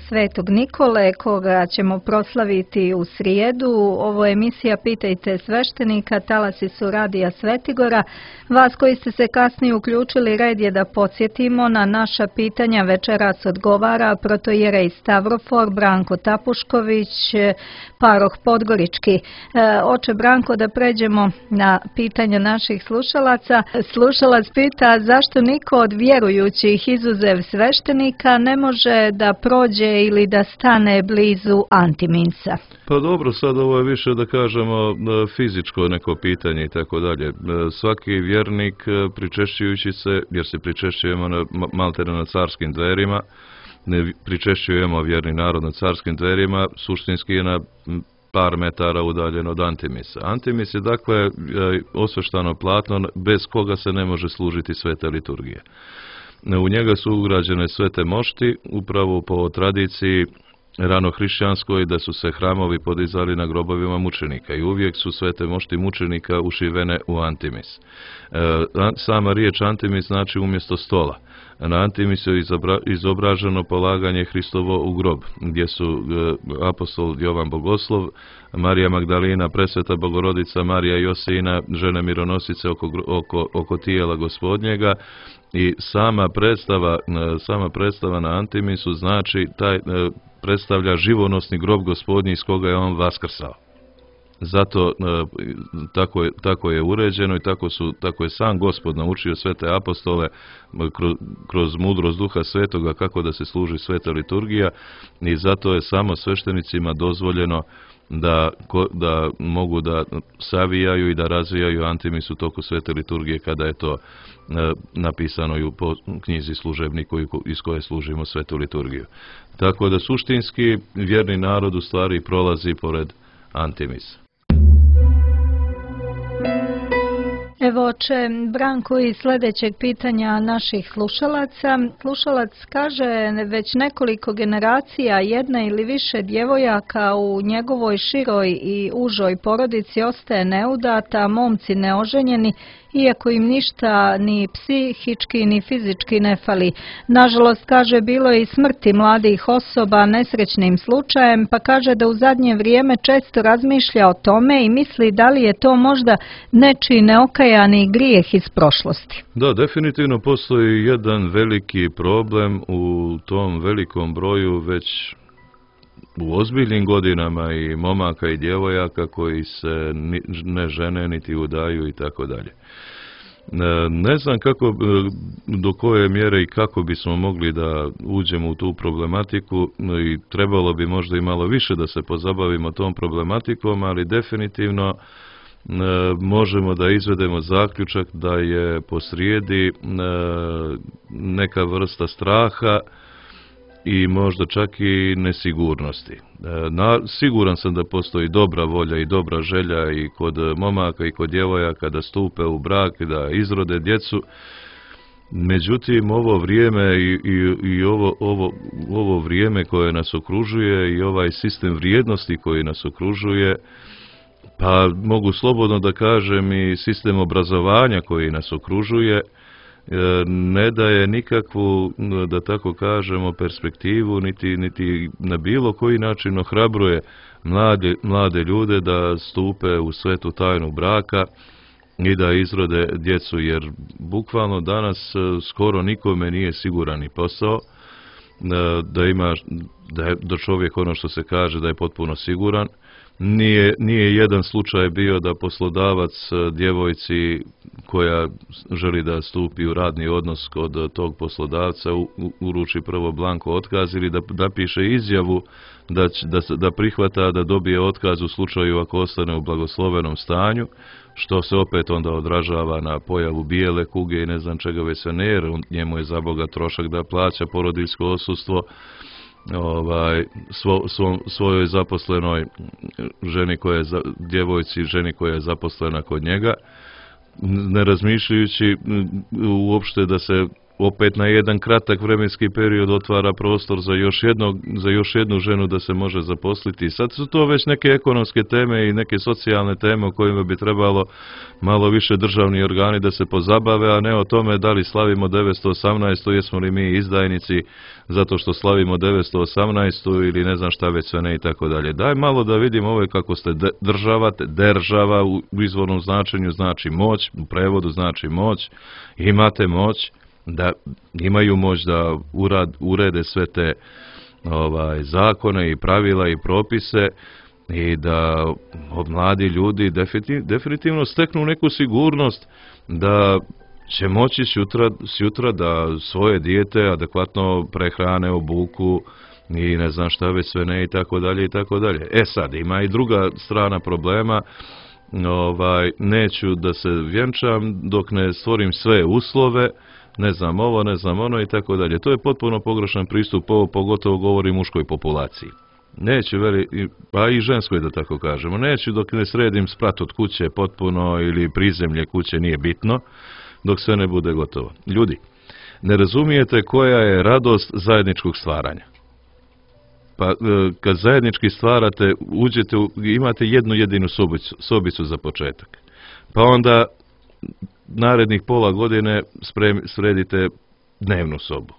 Svetog Nikole, koga ćemo proslaviti u srijedu. Ovo je emisija Pitajte sveštenika, talasi su Radija Svetigora. Vas koji ste se kasnije uključili, red je da podsjetimo na naša pitanja. Večeras odgovara protoijerej Stavrofor Branko Tapušković, paroh Podgorički. Oče Branko, da pređemo na pitanja naših slušalaca. Slušalac pita zašto niko od vjerujućih izuzev sveštenika ne može da prođe ili da stane blizu antiminsa. Pa dobro, sad ovo je više da kažemo fizičko neko pitanje i tako dalje. Svaki vjernik pričešćujući se, jer se pričešćujemo na, maltene na carskim dverima, ne pričešćujemo vjerni narod na carskim dverima, suštinski je na par metara udaljen od Antimisa. Antimis je dakle osveštano platno bez koga se ne može služiti sveta liturgija. U njega su ugrađene svete mošti, upravo po tradiciji ranohrišćanskoj, da su se hramovi podizali na grobovima mučenika i uvijek su svete mošti mučenika ušivene u Antimis. Sama riječ Antimis znači umjesto stola. Na Antimisu je izobraženo polaganje Hristovo u grob, gdje su apostol Jovan Bogoslov, Marija Magdalina, Presveta Bogorodica, Marija Josina, žene mironosice oko, oko, oko tijela Gospodnjega, i sama predstava, sama predstava na Antimisu znači taj predstavlja živonosni grob Gospodnji iz koga je on vaskrsao. Zato tako je, tako je uređeno i tako, su, tako je sam Gospod naučio sve te apostole kroz, kroz mudrost Duha Svetoga kako da se služi sveta liturgija, i zato je samo sveštenicima dozvoljeno da, da mogu da savijaju i da razvijaju Antimis u toku svete liturgije kada je to napisano i u knjizi služebniku iz koje služimo svetu liturgiju. Tako da suštinski vjerni narod u stvari prolazi pored Antimisa. Evo oče Branko iz sljedećeg pitanja naših slušalaca. Slušalac kaže, već nekoliko generacija jedna ili više djevojaka u njegovoj široj i užoj porodici ostaje neudata, momci neoženjeni, iako im ništa ni psihički ni fizički ne fali. Nažalost, kaže, bilo je i smrti mladih osoba nesrećnim slučajem, pa kaže da u zadnje vrijeme često razmišlja o tome i misli da li je to možda nečiji neokajani grijeh iz prošlosti. Da, definitivno postoji jedan veliki problem u tom velikom broju već u ozbiljnim godinama i momaka i djevojaka koji se ne žene niti udaju i tako dalje. Ne znam kako, do koje mjere i kako bismo mogli da uđemo u tu problematiku, i trebalo bi možda i malo više da se pozabavimo tom problematikom, ali definitivno možemo da izvedemo zaključak da je posrijedi neka vrsta straha i možda čak i nesigurnosti. Na, siguran sam da postoji dobra volja i dobra želja i kod momaka i kod djevojaka da stupe u brak i da izrode djecu. Međutim, ovo vrijeme i, i, i ovo, ovo, ovo vrijeme koje nas okružuje i ovaj sistem vrijednosti koji nas okružuje, pa mogu slobodno da kažem i sistem obrazovanja koji nas okružuje, ne daje nikakvu, da tako kažemo, perspektivu, niti, niti na bilo koji način ohrabruje mlade, mlade ljude da stupe u svetu tajnu braka i da izrode djecu, jer bukvalno danas skoro nikome nije siguran i posao, da ima, da je da čovjek, ono što se kaže, da je potpuno siguran. Nije, nije jedan slučaj bio da poslodavac djevojci koja želi da stupi u radni odnos kod tog poslodavca uruči prvo blanko otkaz ili da, da piše izjavu da, da, da prihvata da dobije otkaz u slučaju ako ostane u blagoslovenom stanju, što se opet onda odražava na pojavu bijele kuge i ne znam čega već sve ne, jer njemu je za Boga trošak da plaća porodiljsko odsustvo ovaj, svo, svo, svojoj zaposlenoj ženi koja je, djevojci, ženi koja je zaposlena kod njega, ne razmišljajući uopšte da se opet na jedan kratak vremenski period otvara prostor za još, jednog, za još jednu ženu da se može zaposliti. Sad su to već neke ekonomske teme i neke socijalne teme o kojima bi trebalo malo više državni organi da se pozabave, a ne o tome da li slavimo devetsto osamnaestu, jesmo li mi izdajnici zato što slavimo devetsto osamnaestu ili ne znam šta već sve ne i tako dalje. Daj malo da vidimo ovo kako ste država, država u izvornom značenju znači moć, u prevodu znači moć, imate moć, da imaju moć da urad, urede sve te ovaj, zakone i pravila i propise i da mladi ljudi definitivno, definitivno steknu neku sigurnost da će moći sutra, sutra da svoje dijete adekvatno prehrane, obuku i ne znam šta već sve ne i tako dalje i tako dalje. E sad, ima i druga strana problema. Ovaj, neću da se vjenčam dok ne stvorim sve uslove ne znam ovo, ne znam ono i tako dalje. To je potpuno pogrešan pristup, ovo pogotovo govori muškoj populaciji. Neću, veli, pa i ženskoj da tako kažemo, neću dok ne sredim sprat od kuće potpuno ili prizemlje kuće, nije bitno, dok sve ne bude gotovo. Ljudi, ne razumijete koja je radost zajedničkog stvaranja. Pa kad zajednički stvarate, uđete, imate jednu jedinu sobicu, sobicu za početak. Pa onda narednih pola godine sprem, sredite dnevnu sobu.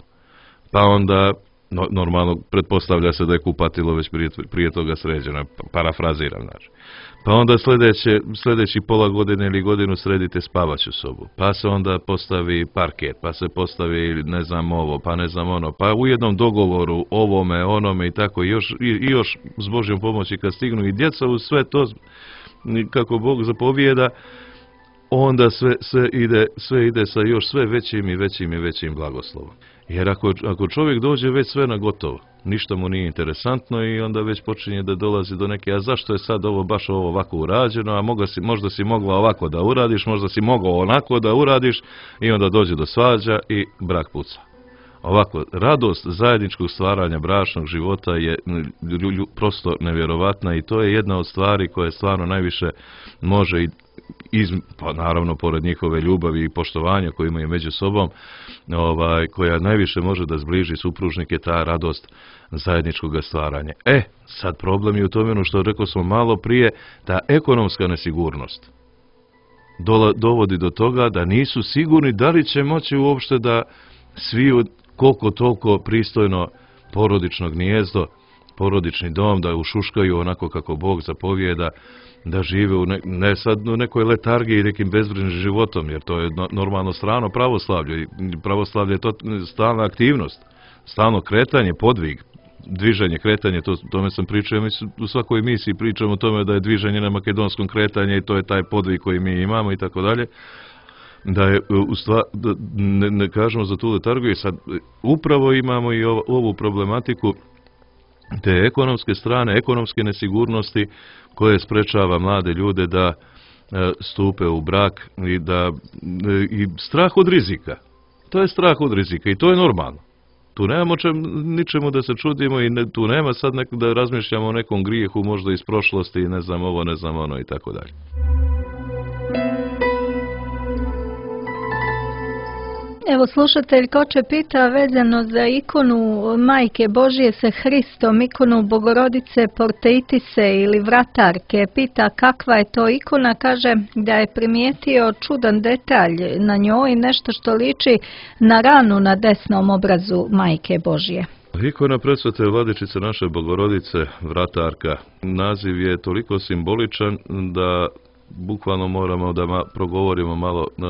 Pa onda, no, normalno, pretpostavlja se da je kupatilo već prije, prije toga sređeno, parafraziram, znači. Pa onda sljedeće, sljedeći pola godine ili godinu sredite spavaću sobu. Pa se onda postavi parket, pa se postavi ne znam ovo, pa ne znam ono. Pa u jednom dogovoru ovome, onome i tako i još, i, i još s Božjom pomoći kad stignu i djeca uz sve to kako Bog zapovijeda, onda sve, sve, ide, sve ide sa još sve većim i većim i većim blagoslovom. Jer ako, ako čovjek dođe već sve na gotovo, ništa mu nije interesantno i onda već počinje da dolazi do neke, a zašto je sad ovo baš ovo ovako urađeno, a moga si, možda si mogla ovako da uradiš, možda si mogao onako da uradiš i onda dođe do svađa i brak puca. Ovako, radost zajedničkog stvaranja bračnog života je prosto nevjerovatna i to je jedna od stvari koje stvarno najviše može i iz, pa naravno pored njihove ljubavi i poštovanja koje imaju među sobom, ovaj, koja najviše može da zbliži supružnike, ta radost zajedničkog stvaranja. E, sad problem je u tome, što rekao smo malo prije, ta ekonomska nesigurnost dola, dovodi do toga da nisu sigurni da li će moći uopšte da svi koliko toliko pristojno porodično gnijezdo, porodični dom, da ušuškaju onako kako Bog zapovijeda, da žive u ne, ne sad u nekoj letargiji, nekim bezbrižnim životom, jer to je no, normalno strano pravoslavlje. Pravoslavlje je to stalna aktivnost, stalno kretanje, podvig, dviženje, kretanje, to, tome sam pričao, mi u svakoj emisiji pričamo o tome da je dviženje na makedonskom kretanju i to je taj podvig koji mi imamo i tako dalje. Da je u stvar, da ne, ne kažemo za tu letargiju, sad upravo imamo i ovo, ovu problematiku te ekonomske strane, ekonomske nesigurnosti koje sprečava mlade ljude da e, stupe u brak i da e, i strah od rizika. To je strah od rizika i to je normalno. Tu nemamo čem, ničemu da se čudimo i ne, tu nema sad nek, da razmišljamo o nekom grijehu možda iz prošlosti, ne znam ovo, ne znam ono i tako dalje. Evo slušatelj Koče pita vezano za ikonu Majke Božije sa Hristom, ikonu Bogorodice Porteitise ili vratarke. Pita kakva je to ikona, kaže da je primijetio čudan detalj na njoj, nešto što liči na ranu na desnom obrazu Majke Božije. Ikona presvete Vladičice naše Bogorodice, vratarka, naziv je toliko simboličan da bukvalno moramo da ma, progovorimo malo e,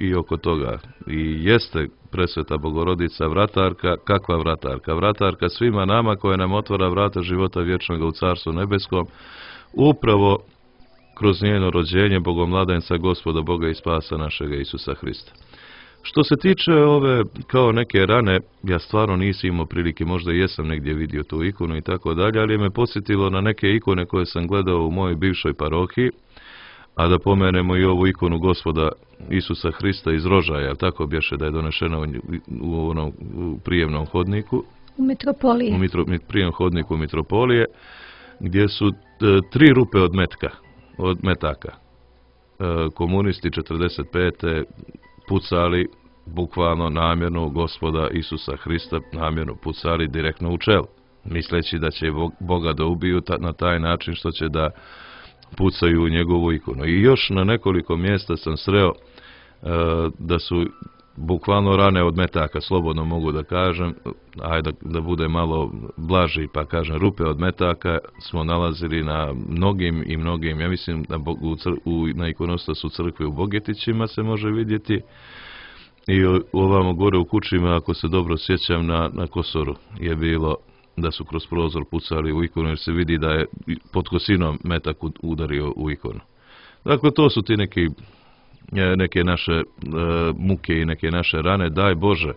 i oko toga. I jeste presveta Bogorodica vratarka, kakva vratarka? Vratarka svima nama koja nam otvara vrata života vječnog u Carstvu nebeskom, upravo kroz njeno rođenje Bogomladenca Gospoda Boga i Spasa našega Isusa Hrista. Što se tiče ove kao neke rane, ja stvarno nisam imao prilike, možda jesam negdje vidio tu ikonu i tako dalje, ali me podsjetilo na neke ikone koje sam gledao u mojoj bivšoj parohiji. A da pomenemo i ovu ikonu Gospoda Isusa Hrista iz Rožaja, tako bješe da je donešena u, u onom u prijemnom hodniku. U mitropoliji. U mitro, prijemnom hodniku mitropolije, gdje su e, tri rupe od metka, od metaka. E, komunisti četrdeset pete pucali bukvalno namjerno Gospoda Isusa Hrista, namjerno pucali direktno u čelo, misleći da će Boga da ubiju ta, na taj način što će da pucaju u njegovu ikonu. I još na nekoliko mjesta sam sreo e, da su bukvalno rane od metaka, slobodno mogu da kažem, ajde da, da bude malo blaži, pa kažem rupe od metaka smo nalazili na mnogim i mnogim, ja mislim na, u, u, na ikonostasu crkve u Bogetićima se može vidjeti i ovamo gore u Kučima, ako se dobro sjećam, na, na Kosoru je bilo da su kroz prozor pucali u ikonu, jer se vidi da je pod kosinom metak udario u ikonu. Dakle, to su ti neki, neke naše e, muke i neke naše rane. Daj Bože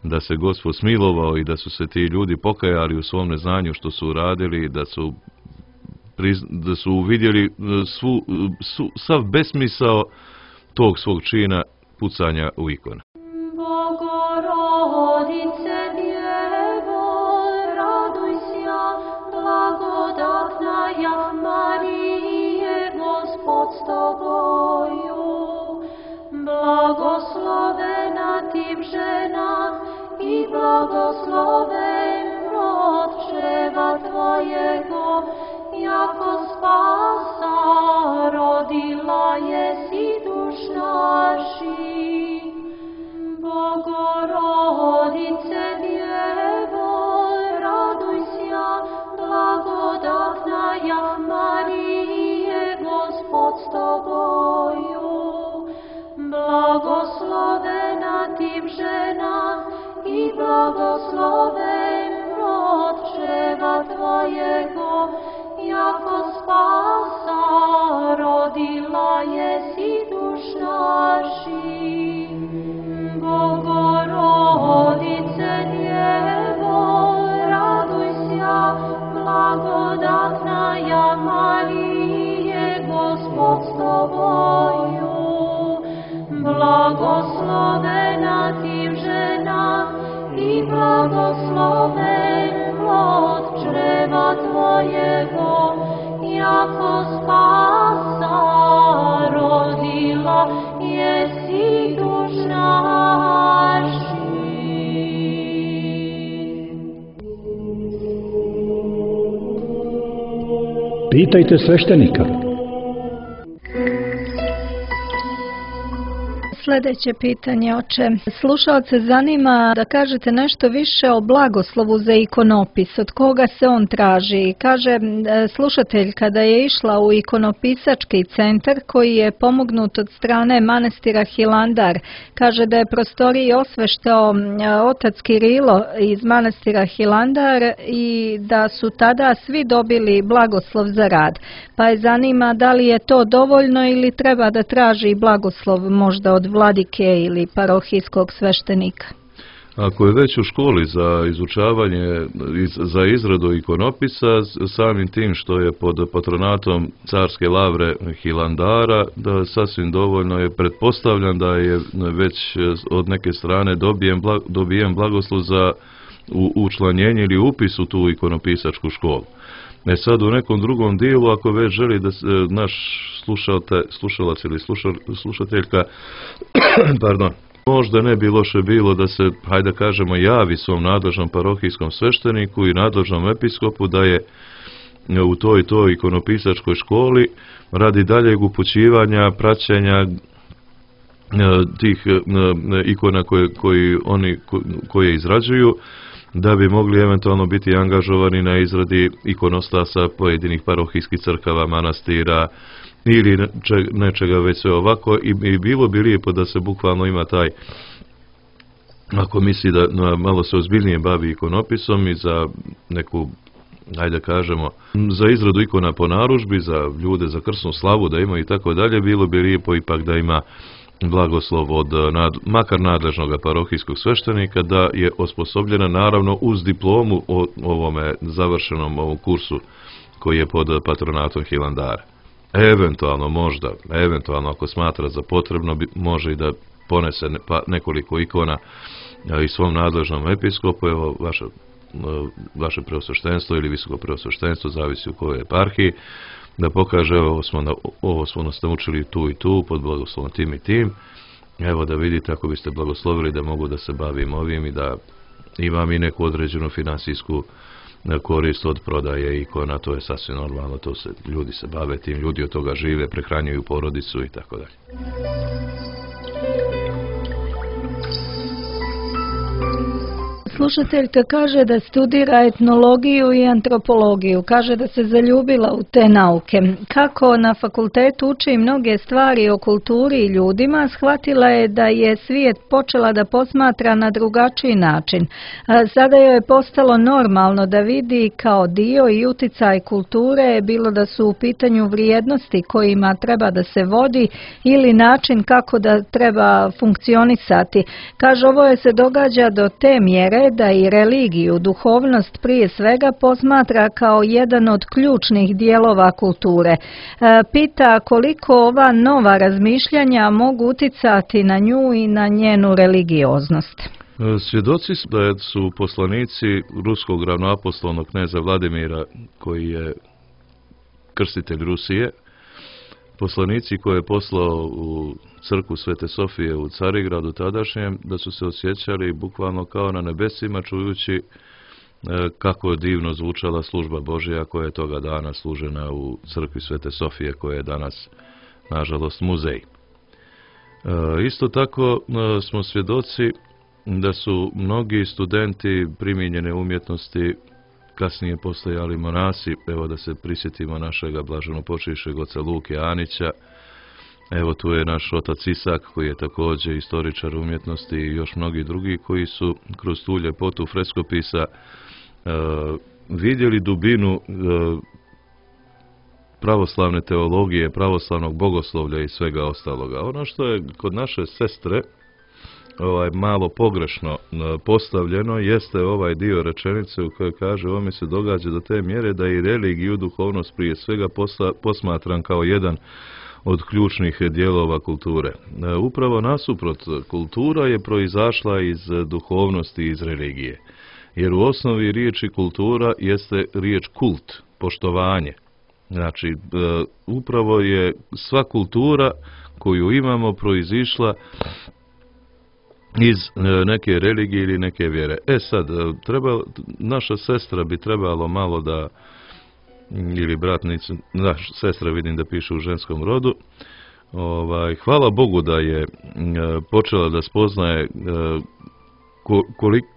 da se Gospod smilovao i da su se ti ljudi pokajali u svom neznanju što su uradili, da su, da su uvidjeli svu, svu, sav besmisao tog svog čina pucanja u ikonu. blagosloven plod čreva Tvojego, jako spasa rodila jesi duš naših. Bogorodice Djevo, raduj sja, blagodatnaja Marije, Gospod s Tobою. Blagoslovena tim žena i blagosloven plod čreva Tvojego, jako spasa rodila jesi duš naših. Bogorodice Djevo, raduj sja, blagodatnaja Marije, Gospod s Tobою. Blagoslovena tim žena i blagosloven plod čreva Tvojego, jako spasa rodila jesi duš naših. Pitajte sveštenika. Sljedeće pitanje, oče. Slušalce zanima da kažete nešto više o blagoslovu za ikonopis. Od koga se on traži? Kaže slušatelj kada je išla u ikonopisački centar koji je pomognut od strane manastira Hilandar. Kaže da je prostoriji osveštao otac Kirilo iz manastira Hilandar i da su tada svi dobili blagoslov za rad. Pa je zanima da li je to dovoljno ili treba da traži blagoslov možda od vladike ili parohijskog sveštenika. Ako je već u školi za izučavanje, za izradu ikonopisa, samim tim što je pod patronatom carske lavre Hilandara, da sasvim dovoljno je, pretpostavljam da je već od neke strane dobijen, dobijen blagoslov za učlanjenje ili upis u tu ikonopisačku školu. E sad u nekom drugom dijelu, ako već želi da se naš slušalac ili slušateljka pardon, možda ne bi loše bilo da se, hajde kažemo, javi svom nadležnom parohijskom svešteniku i nadležnom episkopu da je u toj toj ikonopisačkoj školi radi daljeg upućivanja, praćenja tih ikona koje, koji oni, koje izrađuju, da bi mogli eventualno biti angažovani na izradi ikonostasa pojedinih parohijskih crkava, manastira ili nečega već sve ovako. I, i bilo bi lijepo da se bukvalno ima taj, ako misli da malo se ozbiljnije bavi ikonopisom i za neku, ajde kažemo, za izradu ikona po narudžbi, za ljude, za krsnu slavu da ima i tako dalje, bilo bi lijepo ipak da ima blagoslov od nad, makar nadležnog parohijskog sveštenika, da je osposobljena naravno uz diplomu o ovome završenom ovom kursu koji je pod patronatom Hilandara. Eventualno možda, eventualno ako smatra za potrebno, može i da ponese ne, pa, nekoliko ikona i svom nadležnom episkopu. Evo vaše, vaše preosveštenstvo ili visoko preosveštenstvo, zavisi u kojoj eparhiji, da pokaže, evo smo, na, ovo smo nas naučili tu i tu, pod blagoslovom tim i tim. Evo da vidite, ako biste blagoslovili da mogu da se bavim ovim i da imam i neku određenu finansijsku korist od prodaje ikona, to je sasvim normalno, to se, ljudi se bave tim, ljudi od toga žive, prehranjuju porodicu i tako dalje. Slušateljka kaže da studira etnologiju i antropologiju. Kaže da se zaljubila u te nauke. Kako na fakultetu uči mnoge stvari o kulturi i ljudima, shvatila je da je svijet počela da posmatra na drugačiji način. Sada joj je postalo normalno da vidi kao dio i uticaj kulture, bilo da su u pitanju vrijednosti kojima treba da se vodi ili način kako da treba funkcionisati. Kaže, ovo je se događa do te mjere da i religiju, duhovnost prije svega posmatra kao jedan od ključnih dijelova kulture. Pita koliko ova nova razmišljanja mogu uticati na nju i na njenu religioznost. Svjedoci su da su poslanici ruskog ravnoapostolnog kneza Vladimira, koji je krstitelj Rusije, poslanici koje je poslao u crkvu Svete Sofije u Carigradu tadašnjem, da su se osjećali bukvalno kao na nebesima čujući kako je divno zvučala služba Božja koja je toga dana služena u crkvi Svete Sofije, koja je danas, nažalost, muzej. Isto tako smo svjedoci da su mnogi studenti primijenjene umjetnosti kasnije postojali monasi. Evo da se prisjetimo našega blaženopočivšeg oca Luke Anića. Evo tu je naš otac Isak koji je također istoričar umjetnosti i još mnogi drugi koji su kroz tu ljepotu freskopisa uh, vidjeli dubinu uh, pravoslavne teologije, pravoslavnog bogoslovlja i svega ostaloga. Ono što je kod naše sestre ovaj malo pogrešno postavljeno jeste ovaj dio rečenice u kojoj kaže: ovo mi se događa do te mjere da i religiju, duhovnost prije svega posla, posmatram kao jedan od ključnih dijelova kulture. Upravo nasuprot, kultura je proizašla iz duhovnosti, iz religije. Jer u osnovi riječi kultura jeste riječ kult, poštovanje. Znači, upravo je sva kultura koju imamo proizišla iz neke religije ili neke vjere. E sad, treba, naša sestra bi trebalo malo da, ili bratnica, naša sestra vidim da piše u ženskom rodu, ovaj, hvala Bogu da je počela da spoznaje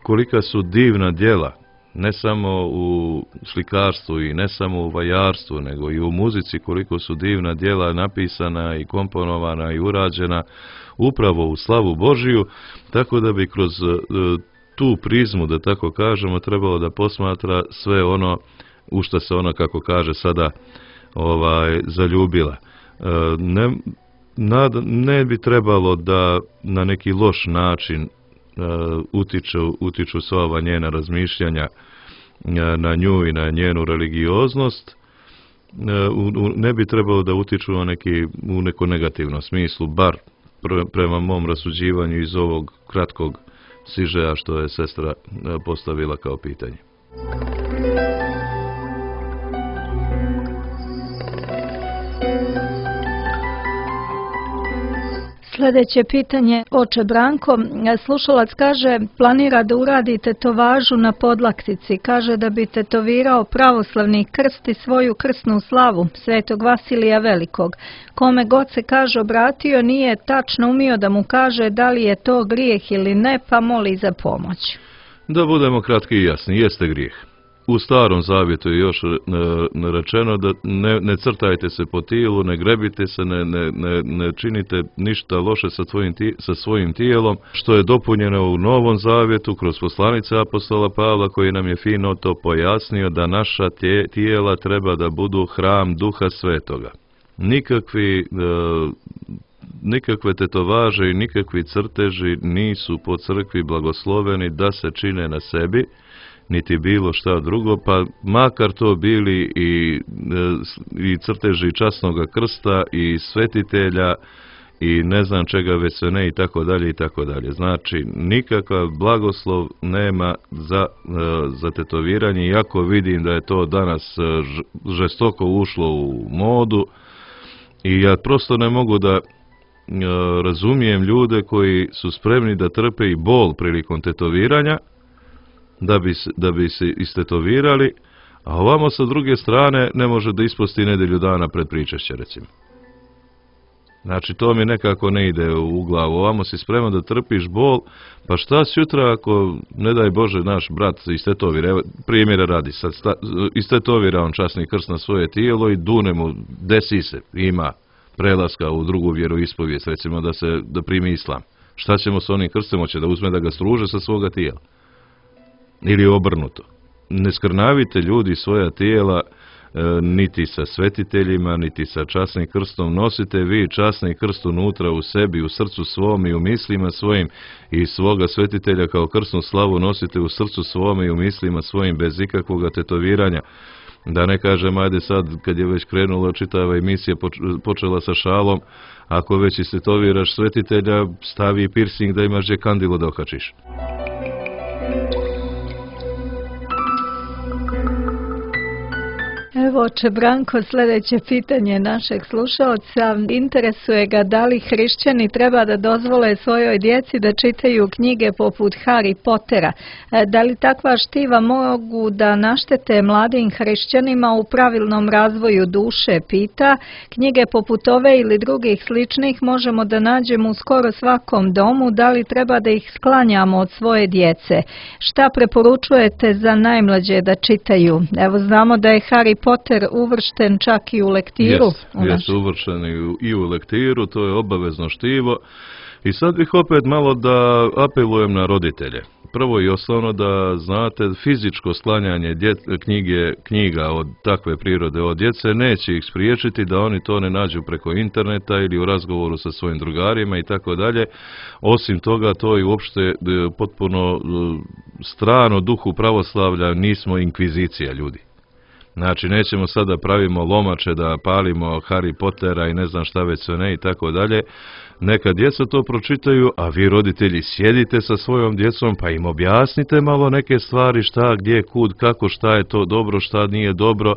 kolika su divna djela, ne samo u slikarstvu i ne samo u vajarstvu, nego i u muzici, koliko su divna djela napisana i komponovana i urađena upravo u slavu Božiju, tako da bi kroz tu prizmu, da tako kažemo, trebalo da posmatra sve ono u što se ona, kako kaže sada, ovaj, zaljubila. Ne, nad, ne bi trebalo da na neki loš način utiču, utiču sva ova njena razmišljanja na nju i na njenu religioznost. Ne bi trebalo da utiču na neki, u neko negativnom smislu, bar prema mom rasuđivanju iz ovog kratkog sižeja što je sestra postavila kao pitanje. Sljedeće pitanje, oče Branko, slušalac kaže planira da uradi tetovažu na podlaktici, kaže da bi tetovirao pravoslavni krst i svoju krsnu slavu Svetog Vasilija Velikog. Kome god se kaže obratio nije tačno umio da mu kaže da li je to grijeh ili ne, pa moli za pomoć. Da budemo kratki i jasni, jeste grijeh. U Starom Zavjetu je još rečeno da ne, ne crtajte se po tijelu, ne grebite se, ne, ne, ne, ne činite ništa loše sa, tvojim, sa svojim tijelom, što je dopunjeno u Novom Zavjetu kroz poslanice apostola Pavla koji nam je fino to pojasnio da naša tje, tijela treba da budu hram Duha Svetoga. Nikakvi, e, nikakve tetovaže i nikakvi crteži nisu po crkvi blagosloveni da se čine na sebi, niti bilo šta drugo, pa makar to bili i, i crteži časnoga krsta i svetitelja i ne znam čega već sve ne i tako dalje i tako dalje. Znači, nikakav blagoslov nema za, za tetoviranje, iako vidim da je to danas žestoko ušlo u modu i ja prosto ne mogu da razumijem ljude koji su spremni da trpe i bol prilikom tetoviranja, da bi, da bi se istetovirali, a ovamo sa druge strane ne može da isposti nedelju dana pred pričešće, recimo. Znači, to mi nekako ne ide u glavu. Ovamo si spreman da trpiš bol, pa šta sutra ako, ne daj Bože, naš brat istetovira, evo, primjera radi, sad sta, istetovira on časni krst na svoje tijelo i dune mu, desi se, ima prelaska u drugu vjeroispovijest, recimo da se da primi islam. Šta ćemo s onim krstom? Hoće da uzme da ga struže sa svoga tijela? Ili obrnuto. Ne skrnavite ljudi svoja tijela e, niti sa svetiteljima, niti sa časnim krstom. Nosite vi časni krst unutra u sebi, u srcu svom i u mislima svojim i svoga svetitelja kao krsnu slavu nosite u srcu svom i u mislima svojim bez ikakvog tetoviranja. Da ne kažem, ajde sad, kad je već krenula čitava emisija, počela sa šalom, ako već istetoviraš svetitelja, stavi piercing da imaš gdje kandilo da okačiš. Evo, oče Branko, sljedeće pitanje našeg slušalca. Interesuje ga da li hrišćani treba da dozvole svojoj djeci da čitaju knjige poput Harry Pottera. Da li takva štiva mogu da naštete mladim hrišćanima u pravilnom razvoju duše, pita. Knjige poput ove ili drugih sličnih možemo da nađemo u skoro svakom domu. Da li treba da ih sklanjamo od svoje djece? Šta preporučujete za najmlađe da čitaju? Evo, znamo da je Harry Potter uvršten čak i u lektiru. Jes, jes uvršten i u, i u lektiru, to je obavezno štivo. I sad bih opet malo da apelujem na roditelje. Prvo i osnovno da znate, fizičko sklanjanje djet, knjige, knjiga od takve prirode od djece neće ih spriječiti da oni to ne nađu preko interneta ili u razgovoru sa svojim drugarima i tako dalje. Osim toga, to je uopšte potpuno strano duhu pravoslavlja, nismo inkvizicija, ljudi. Znači, nećemo sada pravimo lomače da palimo Harry Pottera i ne znam šta već sve ne i tako dalje. Neka djeca to pročitaju, a vi roditelji sjedite sa svojom djecom pa im objasnite malo neke stvari, šta, gdje, kud, kako, šta je to dobro, šta nije dobro,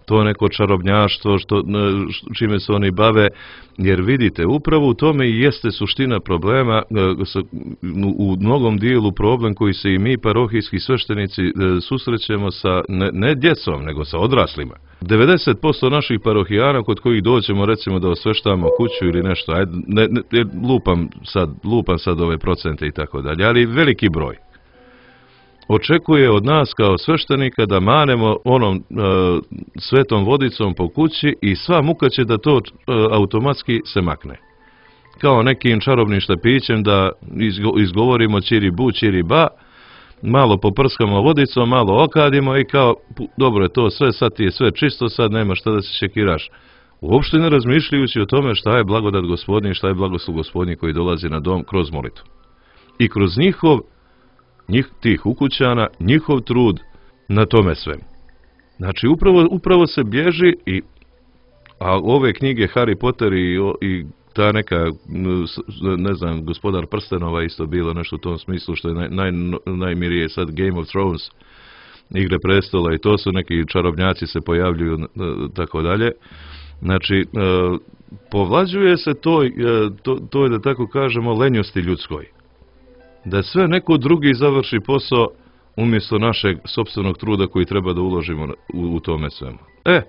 to neko čarobnjaštvo, što, čime se oni bave, jer vidite, upravo u tome i jeste suština problema, u mnogom dijelu problem koji se i mi parohijski sveštenici susrećemo sa ne, ne djecom, nego sa odraslima. devedeset posto naših parohijana kod kojih dođemo recimo da osveštavamo kuću ili nešto, ajde, ne, ne, lupam, sad, lupam sad ove procente i tako dalje, ali veliki broj očekuje od nas kao sveštenika da manemo onom e, svetom vodicom po kući i sva muka će da to e, automatski se makne. Kao nekim čarobnim štapićem da izgo, izgovorimo čiri bu, čiri ba, malo poprskamo vodicom, malo okadimo i kao, dobro je to sve, sad ti je sve čisto, sad nema šta da se šekiraš. Uopšte ne razmišljajući o tome šta je blagodat Gospodnji, šta je blagoslov Gospodnji koji dolazi na dom kroz molitvu. I kroz njihov, njih, tih ukućana, njihov trud na tome svemu. Znači, upravo, upravo se bježi i, a ove knjige Harry Potter i, i ta neka, ne znam, Gospodar prstenova isto bilo nešto u tom smislu, što je naj, naj, najmirije sad Game of Thrones, Igre prestola i to su neki čarobnjaci se pojavljuju, tako dalje. Znači, povlađuje se to, to, to je da tako kažemo lenjosti ljudskoj. Da sve neko drugi završi posao umjesto našeg sopstvenog truda koji treba da uložimo u, u tome svemu. E,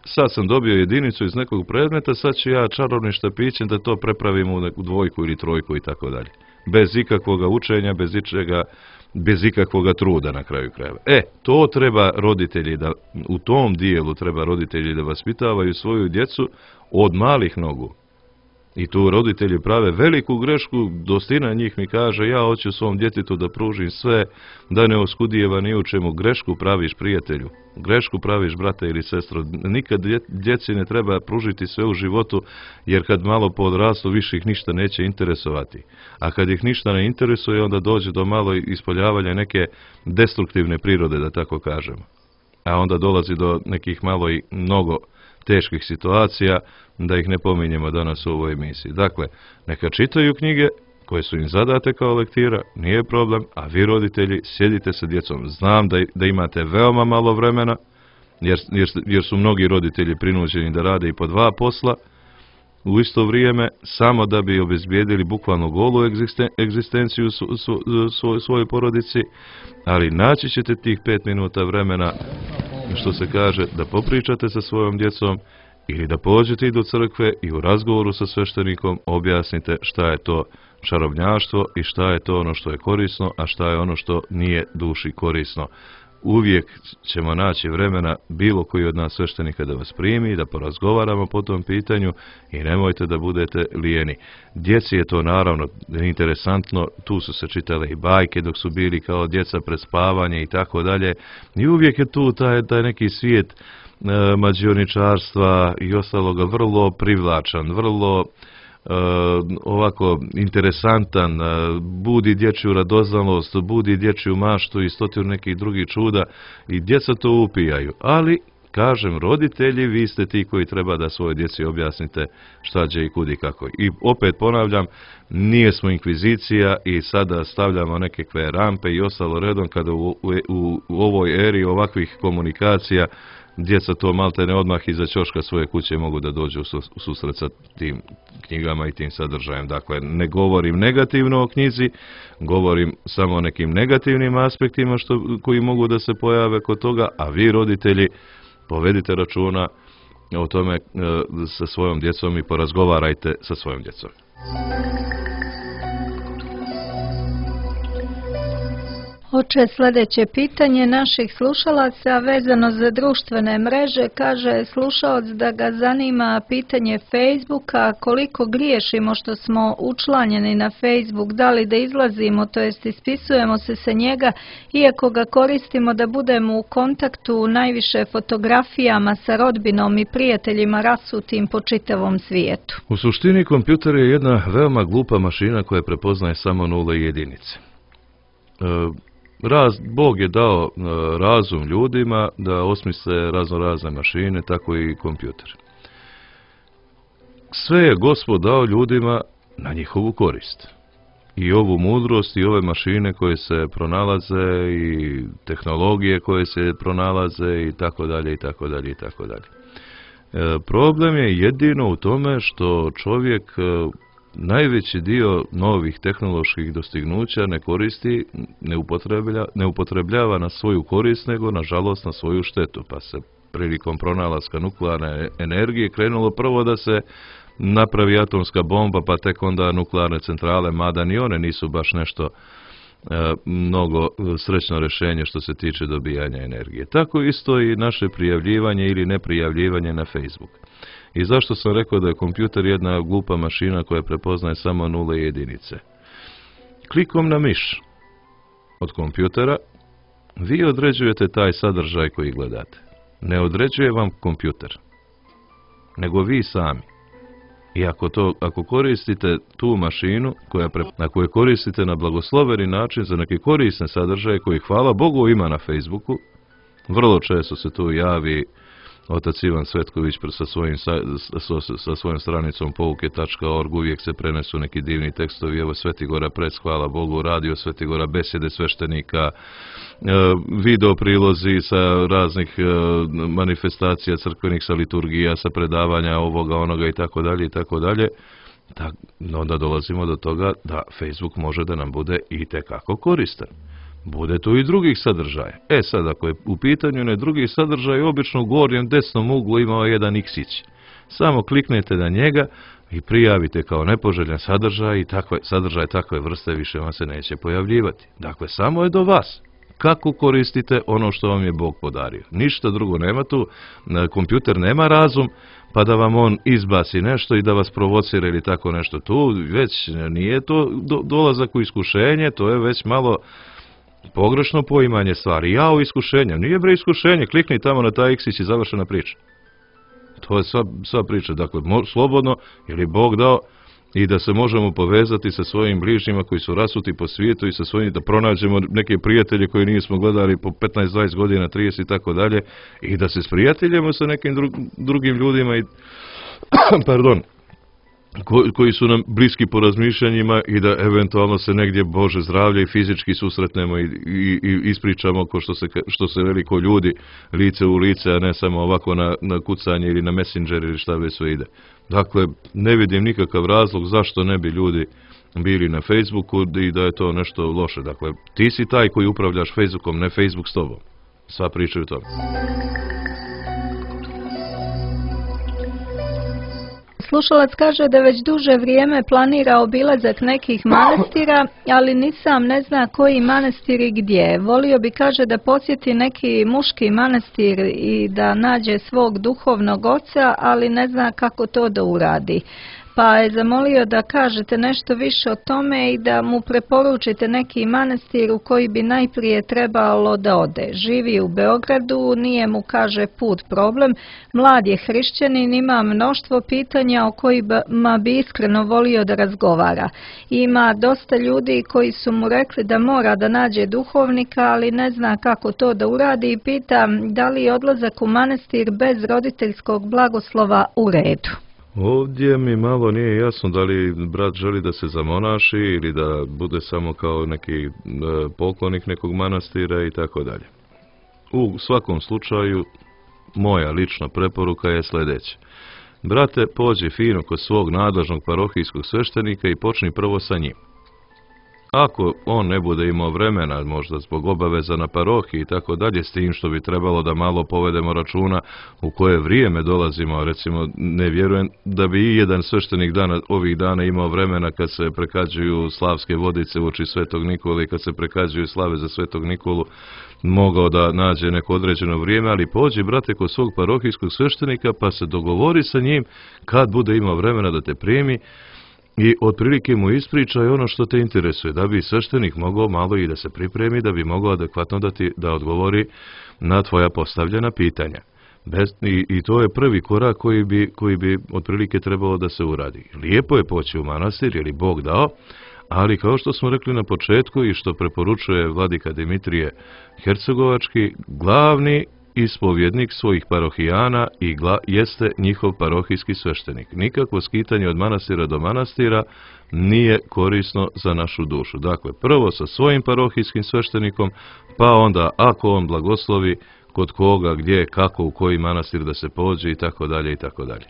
sad sam dobio jedinicu iz nekog predmeta, sad ću ja čarobnim štapićem da to prepravim u neku dvojku ili trojku i tako dalje. Bez ikakvoga učenja, bez ičega, bez ikakvoga truda na kraju krajeva. E, to treba roditelji da, u tom dijelu treba roditelji da vaspitavaju svoju djecu od malih nogu. I tu roditelji prave veliku grešku, dostina njih mi kaže, ja hoću svom djetetu da pružim sve, da ne oskudijeva ni u čemu. Grešku praviš, prijatelju, grešku praviš, brate ili sestro. Nikad djeci ne treba pružiti sve u životu, jer kad malo podrastu više ih ništa neće interesovati. A kad ih ništa ne interesuje, onda dođe do malo ispoljavanja neke destruktivne prirode, da tako kažemo. A onda dolazi do nekih malo i mnogo teških situacija, da ih ne pominjemo danas u ovoj emisiji. Dakle, neka čitaju knjige koje su im zadate kao lektira, nije problem, a vi roditelji sjedite sa djecom. Znam da, da imate veoma malo vremena, jer, jer, jer su mnogi roditelji prinuđeni da rade i po dva posla u isto vrijeme, samo da bi obezbijedili bukvalno golu egzisten, egzistenciju su, su, su, svojoj porodici, ali naći ćete tih pet minuta vremena, što se kaže, da popričate sa svojom djecom ili da pođete i do crkve i u razgovoru sa sveštenikom objasnite šta je to čarobnjaštvo i šta je to ono što je korisno, a šta je ono što nije duši korisno. Uvijek ćemo naći vremena bilo koji od nas sveštenika da vas primi, da porazgovaramo po tom pitanju i nemojte da budete lijeni. Djeci je to naravno interesantno, tu su se čitale i bajke dok su bili kao djeca pred spavanje i tako dalje. I uvijek je tu taj, taj neki svijet e, mađioničarstva i ostaloga vrlo privlačan, vrlo Uh, ovako interesantan, uh, budi dječju radoznalost, budi dječju maštu i stotinu nekih drugih čuda i djeca to upijaju. Ali, kažem, roditelji, vi ste ti koji treba da svoje djeci objasnite šta će i kudi kako. I opet ponavljam, nije smo inkvizicija i sada stavljamo nekakve rampe i ostalo redom kada u, u, u, u ovoj eri ovakvih komunikacija djeca to maltene odmah iza ćoška svoje kuće mogu da dođu u susret sa tim knjigama i tim sadržajem. Dakle, ne govorim negativno o knjizi, govorim samo o nekim negativnim aspektima što, koji mogu da se pojave kod toga, a vi roditelji povedite računa o tome e, sa svojom djecom i porazgovarajte sa svojom djecom. Oče, sljedeće pitanje naših slušalaca vezano za društvene mreže. Kaže slušalac da ga zanima pitanje Facebooka, koliko griješimo što smo učlanjeni na Facebook, da li da izlazimo, to jest ispisujemo se sa njega, iako ga koristimo da budemo u kontaktu najviše fotografijama sa rodbinom i prijateljima rasutim po čitavom svijetu. U suštini kompjuter je jedna veoma glupa mašina koja prepoznaje samo nule i jedinice. E, Raz, Bog je dao e, razum ljudima da osmisle razno razne mašine, tako i kompjuter. Sve je Gospod dao ljudima na njihovu korist. I ovu mudrost i ove mašine koje se pronalaze i tehnologije koje se pronalaze i tako dalje i tako dalje i tako dalje. E, problem je jedino u tome što čovjek e, najveći dio novih tehnoloških dostignuća ne koristi, ne upotrebljava, ne upotrebljava na svoju korist, nego nažalost na svoju štetu. Pa se prilikom pronalaska nuklearne energije krenulo prvo da se napravi atomska bomba, pa tek onda nuklearne centrale, mada ni one nisu baš nešto e, mnogo srećno rješenje što se tiče dobijanja energije. Tako isto i naše prijavljivanje ili neprijavljivanje na Facebook. I zašto sam rekao da je kompjuter jedna glupa mašina koja prepoznaje samo nule i jedinice? Klikom na miš od kompjutera vi određujete taj sadržaj koji gledate. Ne određuje vam kompjuter, nego vi sami. I ako, to, ako koristite tu mašinu, koja pre, na koju koristite na blagosloveni način za neke korisne sadržaje koji hvala Bogu ima na Facebooku, vrlo često se tu javi otac Ivan Svetković sa svojim, sa, sa, sa svojom stranicom pouke tačka org, uvijek se prenesu neki divni tekstovi, evo Svetigora Prec, hvala Bogu, radio Svetigora, besjede sveštenika, video prilozi sa raznih manifestacija crkvenih, sa liturgija, sa predavanja ovoga, onoga i tako dalje i tako dalje. Onda dolazimo do toga da Facebook može da nam bude i tekako koristan. Bude tu i drugih sadržaja. E sad, ako je u pitanju ne drugi sadržaj, obično u gornjem desnom uglu ima jedan iksić. Samo kliknete na njega i prijavite kao nepoželjan sadržaj i takve, sadržaj takve vrste više vam se neće pojavljivati. Dakle, samo je do vas. Kako koristite ono što vam je Bog podario. Ništa drugo nema tu. Kompjuter nema razum, pa da vam on izbaci nešto i da vas provocira ili tako nešto. Tu već nije to do, dolazak u iskušenje, to je već malo pogrešno poimanje stvari. Ja o iskušenju. Nije bre iskušenje. Klikni tamo na taj iksić i završena priča. To je sva, sva priča. Dakle, mo, slobodno, ili Bog dao, i da se možemo povezati sa svojim bližnjima koji su rasuti po svijetu i sa svojim, da pronađemo neke prijatelje koje nismo gledali po petnaest dvadeset godina, trideset i tako dalje, i da se sprijateljimo sa nekim dru, drugim ljudima i pardon, Ko, koji su nam bliski po razmišljanjima i da eventualno se negdje Bože zdravlje i fizički susretnemo i, i, i ispričamo ko što se, što se veliko ljudi lice u lice, a ne samo ovako na, na kucanje ili na Messenger ili šta već sve ide. Dakle, ne vidim nikakav razlog zašto ne bi ljudi bili na Facebooku i da je to nešto loše. Dakle, ti si taj koji upravljaš Facebookom, ne Facebook s tobom. Sva priča o tome. Slušalac kaže da već duže vrijeme planira obilazak nekih manastira, ali ni sam ne zna koji manastir i gdje. Volio bi, kaže, da posjeti neki muški manastir i da nađe svog duhovnog oca, ali ne zna kako to da uradi. Pa je zamolio da kažete nešto više o tome i da mu preporučite neki manastir u koji bi najprije trebalo da ode. Živi u Beogradu, nije mu, kaže, put problem, mlad je hrišćanin, ima mnoštvo pitanja o kojima bi iskreno volio da razgovara. Ima dosta ljudi koji su mu rekli da mora da nađe duhovnika, ali ne zna kako to da uradi i pita da li je odlazak u manastir bez roditeljskog blagoslova u redu. Ovdje mi malo nije jasno da li brat želi da se zamonaši ili da bude samo kao neki poklonik nekog manastira i tako dalje. U svakom slučaju moja lična preporuka je sljedeća. Brate, pođi fino kod svog nadležnog parohijskog sveštenika i počni prvo sa njim. Ako on ne bude imao vremena, možda zbog obaveza na parohiji i tako dalje, s tim što bi trebalo da malo povedemo računa u koje vrijeme dolazimo, recimo ne vjerujem da bi i jedan sveštenik dana, ovih dana imao vremena kad se prekađuju slavske vodice uoči Svetog Nikole i kad se prekađuju slave za Svetog Nikolu, mogao da nađe neko određeno vrijeme, ali pođi, brate, kod svog parohijskog sveštenika pa se dogovori sa njim kad bude imao vremena da te primi i otprilike mu ispričaj ono što te interesuje, da bi sveštenik mogao malo i da se pripremi, da bi mogao adekvatno da ti da odgovori na tvoja postavljena pitanja. Bez, i, I to je prvi korak koji bi, koji bi otprilike trebalo da se uradi. Lijepo je poći u manastir, jer je Bog dao, ali kao što smo rekli na početku i što preporučuje vladika Dimitrije Hercegovački, glavni ispovjednik svojih parohijana i gla, jeste njihov parohijski sveštenik. Nikakvo skitanje od manastira do manastira nije korisno za našu dušu. Dakle, prvo sa svojim parohijskim sveštenikom, pa onda ako on blagoslovi kod koga, gdje, kako, u koji manastir da se pođe i tako dalje i tako dalje.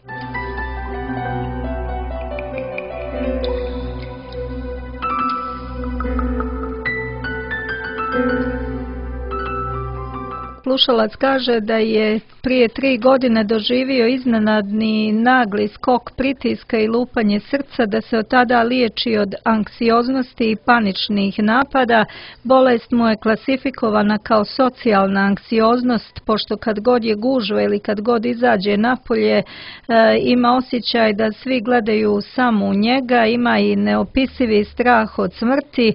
Slušalac kaže da je prije tri godine doživio iznenadni nagli skok pritiska i lupanje srca, da se od tada liječi od anksioznosti i paničnih napada. Bolest mu je klasifikovana kao socijalna anksioznost, pošto kad god je gužva ili kad god izađe napolje, e, ima osjećaj da svi gledaju samo u njega, ima i neopisivi strah od smrti. E,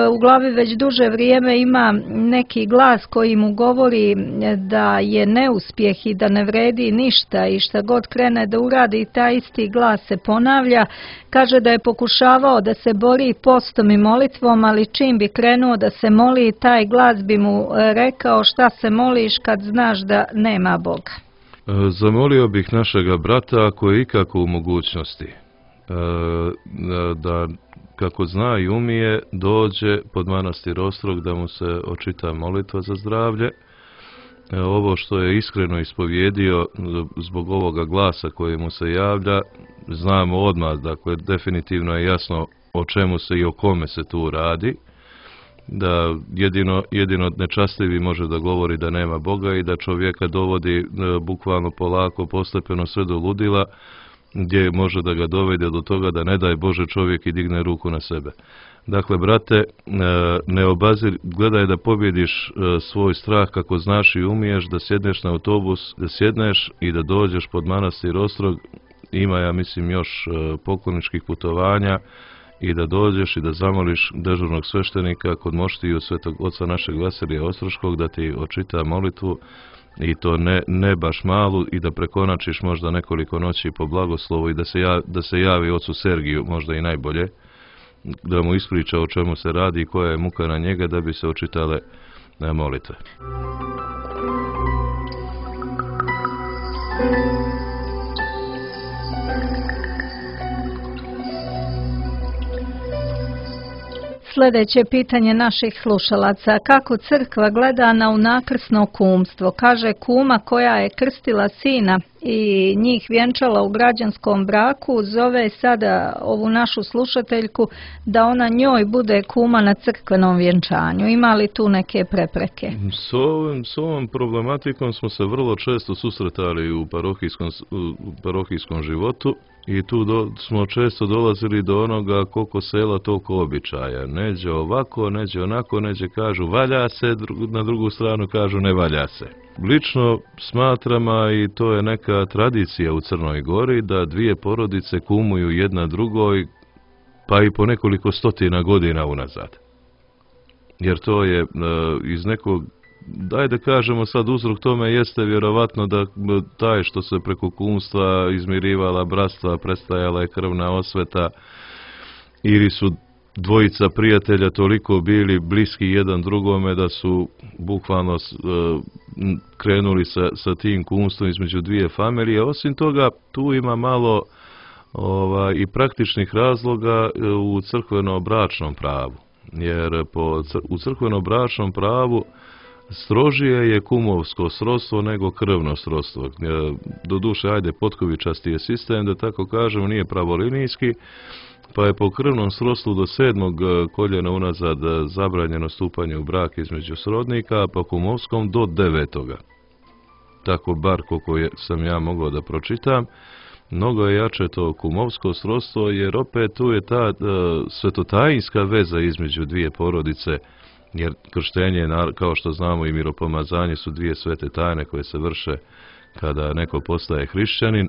u glavi već duže vrijeme ima neki glas koji mu govori da je neuspjeh i da ne vredi ništa i šta god krene da uradi, taj isti glas se ponavlja. Kaže da je pokušavao da se bori postom i molitvom, ali čim bi krenuo da se moli, taj glas bi mu rekao šta se moliš kad znaš da nema Boga. Zamolio bih našega brata, ako je ikako u mogućnosti, da kako zna i umije, dođe pod manastir Ostrog da mu se očita molitva za zdravlje. Ovo što je iskreno ispovjedio zbog ovoga glasa koji mu se javlja, znamo odmah, dakle, definitivno je jasno o čemu se i o kome se tu radi, da jedino, jedino nečastivi može da govori da nema Boga i da čovjeka dovodi bukvalno polako, postepeno sve do ludila, gdje može da ga dovede do toga da ne daj Bože čovjek i digne ruku na sebe. Dakle, brate, ne obazir, gledaj da pobjediš svoj strah kako znaš i umiješ, da sjedneš na autobus, da sjedneš i da dođeš pod manastir Ostrog. Ima, ja mislim, još pokloničkih putovanja i da dođeš i da zamoliš dežurnog sveštenika kod moštiju Svetog Oca našeg Vasilija Ostroškog da ti očita molitvu, i to ne, ne baš malu, i da prekonačiš možda nekoliko noći po blagoslovu i da se, javi, da se javi ocu Sergiju, možda i najbolje, da mu ispriča o čemu se radi i koja je muka na njega, da bi se očitale molitve. Sljedeće pitanje naših slušalaca. Kako crkva gleda na unakrsno kumstvo? Kaže, kuma koja je krstila sina i njih vjenčala u građanskom braku, zove sada ovu našu slušateljku da ona njoj bude kuma na crkvenom vjenčanju. Ima li tu neke prepreke? S ovom, s ovom problematikom smo se vrlo često susretali u parohijskom, u parohijskom životu. I tu do, smo često dolazili do onoga koliko sela, toliko običaja. Neđe ovako, neđe onako, neđe kažu valja se, dru, na drugu stranu kažu ne valja se. Lično smatram, a i to je neka tradicija u Crnoj Gori, da dvije porodice kumuju jedna drugoj, pa i po nekoliko stotina godina unazad. Jer to je e, iz nekog, daj da kažemo sad, uzrok tome jeste vjerovatno da taj što se preko kumstva izmirivala bratstva, prestajala je krvna osveta, ili su dvojica prijatelja toliko bili bliski jedan drugome da su bukvalno uh, krenuli sa, sa tim kumstvom između dvije familije. Osim toga, tu ima malo ova, i praktičnih razloga u crkveno-bračnom pravu. Jer po, u crkveno-bračnom pravu strožije je kumovsko srodstvo nego krvno srodstvo. Doduše, ajde, potkovičasti je sistem, da tako kažemo, nije pravolinijski, pa je po krvnom srodstvu do sedmog koljena unazad zabranjeno stupanje u brak između srodnika, a po kumovskom do devetoga. Tako bar koliko je, sam ja mogao da pročitam. Mnogo je jače to kumovsko srodstvo, jer opet tu je ta uh, svetotajinska veza između dvije porodice, jer krštenje, kao što znamo, i miropomazanje su dvije svete tajne koje se vrše kada neko postaje hrišćanin.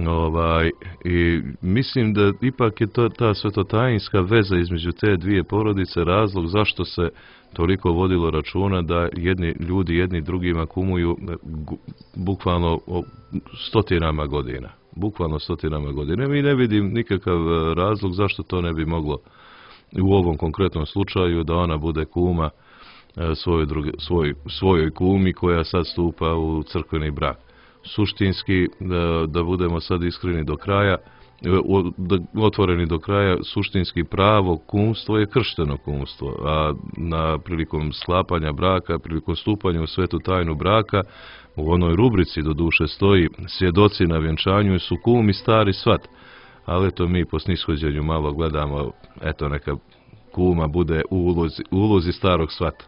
Ovaj, i mislim da ipak je to ta svetotajinska veza između te dvije porodice razlog zašto se toliko vodilo računa da jedni ljudi jedni drugima kumuju bukvalno stotinama godina. Bukvalno stotinama godina. Mi ne vidim nikakav razlog zašto to ne bi moglo u ovom konkretnom slučaju da ona bude kuma svojoj, druge, svoj, svojoj kumi koja sad stupa u crkveni brak. Suštinski, da, da budemo sad iskreni do kraja, da, otvoreni do kraja, suštinski pravo kumstvo je kršteno kumstvo, a na prilikom sklapanja braka, prilikom stupanja u svetu tajnu braka, u onoj rubrici do duše stoji svjedoci na vjenčanju su kum i stari svat, ali eto mi po snishođenju malo gledamo, eto neka kuma bude u ulozi, u ulozi starog svata.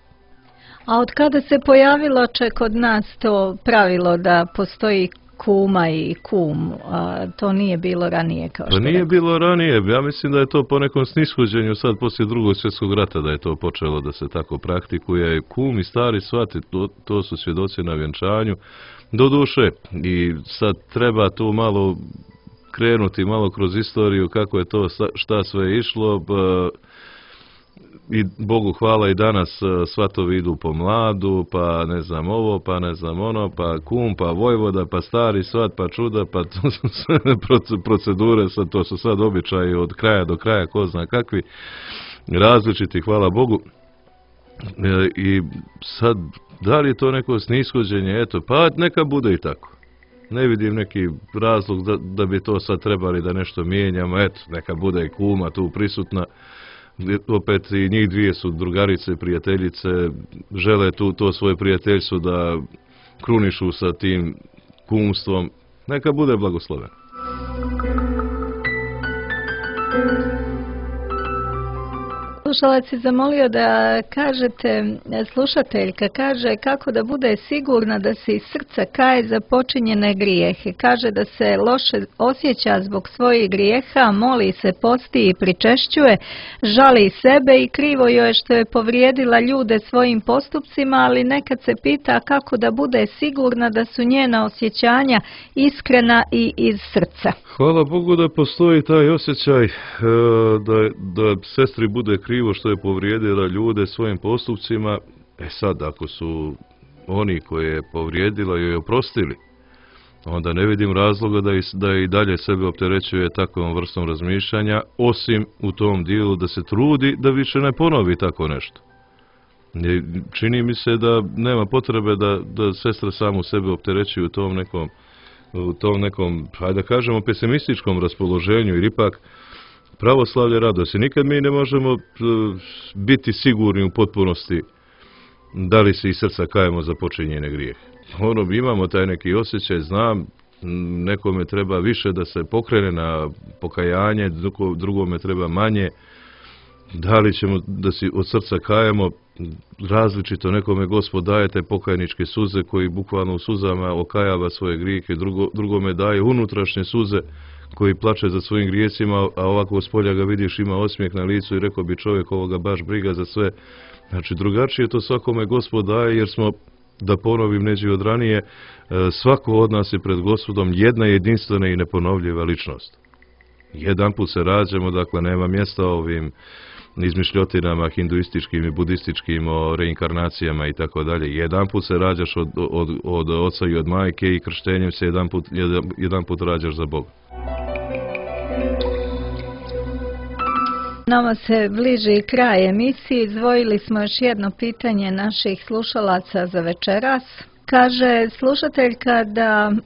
A od kada se pojavilo će kod nas to pravilo da postoji kuma i kum, a to nije bilo ranije kao što Pa nije rekao. bilo ranije, ja mislim da je to po nekom snishođenju sad poslije drugog svjetskog rata da je to počelo da se tako praktikuje. Kum i stari svati, to, to su svjedoci na vjenčanju. Doduše, i sad treba tu malo krenuti malo kroz istoriju kako je to, šta sve išlo, pa i Bogu hvala i danas svatovi idu po mladu, pa ne znam ovo, pa ne znam ono, pa kum, pa vojvoda, pa stari svat, pa čuda, pa to su sve procedure, sad, to su sad običaji od kraja do kraja, ko zna kakvi, različiti, hvala Bogu. E, I sad, da li je to neko snishođenje, eto, pa neka bude i tako. Ne vidim neki razlog da, da bi to sad trebali da nešto mijenjamo, eto, neka bude i kuma tu prisutna. Opet i njih dvije su drugarice, prijateljice, žele tu to svoje prijateljstvo da krunišu sa tim kumstvom. Neka bude blagosloven. Slušalac je zamolio da kažete, slušateljka kaže kako da bude sigurna da se iz srca kaje za počinjene grijehe. Kaže da se loše osjeća zbog svojih grijeha, moli se, posti i pričešćuje, žali sebe i krivo joj je što je povrijedila ljude svojim postupcima, ali nekad se pita kako da bude sigurna da su njena osjećanja iskrena i iz srca. Hvala Bogu da postoji taj osjećaj da, da sestri bude krivo što je povrijedila ljude svojim postupcima. E sad, ako su oni koji je povrijedila joj oprostili, onda ne vidim razloga da i, da i dalje sebe opterećuje takvom vrstom razmišljanja, osim u tom dijelu da se trudi da više ne ponovi tako nešto. Čini mi se da nema potrebe da, da sestra samu sebe opterećuje u tom nekom, u tom nekom, hajde da kažemo, pesimističkom raspoloženju, jer ipak pravoslavlje radosti. Nikad mi ne možemo biti sigurni u potpunosti da li se iz srca kajemo za počinjene grijehe. Ono, imamo taj neki osjećaj, znam, nekome treba više da se pokrene na pokajanje, drugome treba manje. Da li ćemo da si od srca kajemo različito, nekome Gospod daje te pokajničke suze koji bukvalno u suzama okajava svoje grijehe, drugo, drugome daje unutrašnje suze koji plače za svojim grijesima, a ovako s polja ga vidiš ima osmijeh na licu i rekao bi čovjek ovoga baš briga za sve. Znači drugačije to svakome Gospod daje, jer smo, da ponovim neđe od ranije, svako od nas je pred Gospodom jedna jedinstvena i neponovljiva ličnost. Jedan put se rađamo, dakle nema mjesta ovim izmišljotinama hinduističkim i budističkim o reinkarnacijama i tako dalje. Jedan put se rađaš od, od, od oca i od majke i krštenjem se jedan put, jedan, jedan put rađaš za Boga. Nama se bliži kraj emisije. Izdvojili smo još jedno pitanje naših slušalaca za večeras. Kaže slušateljka da e,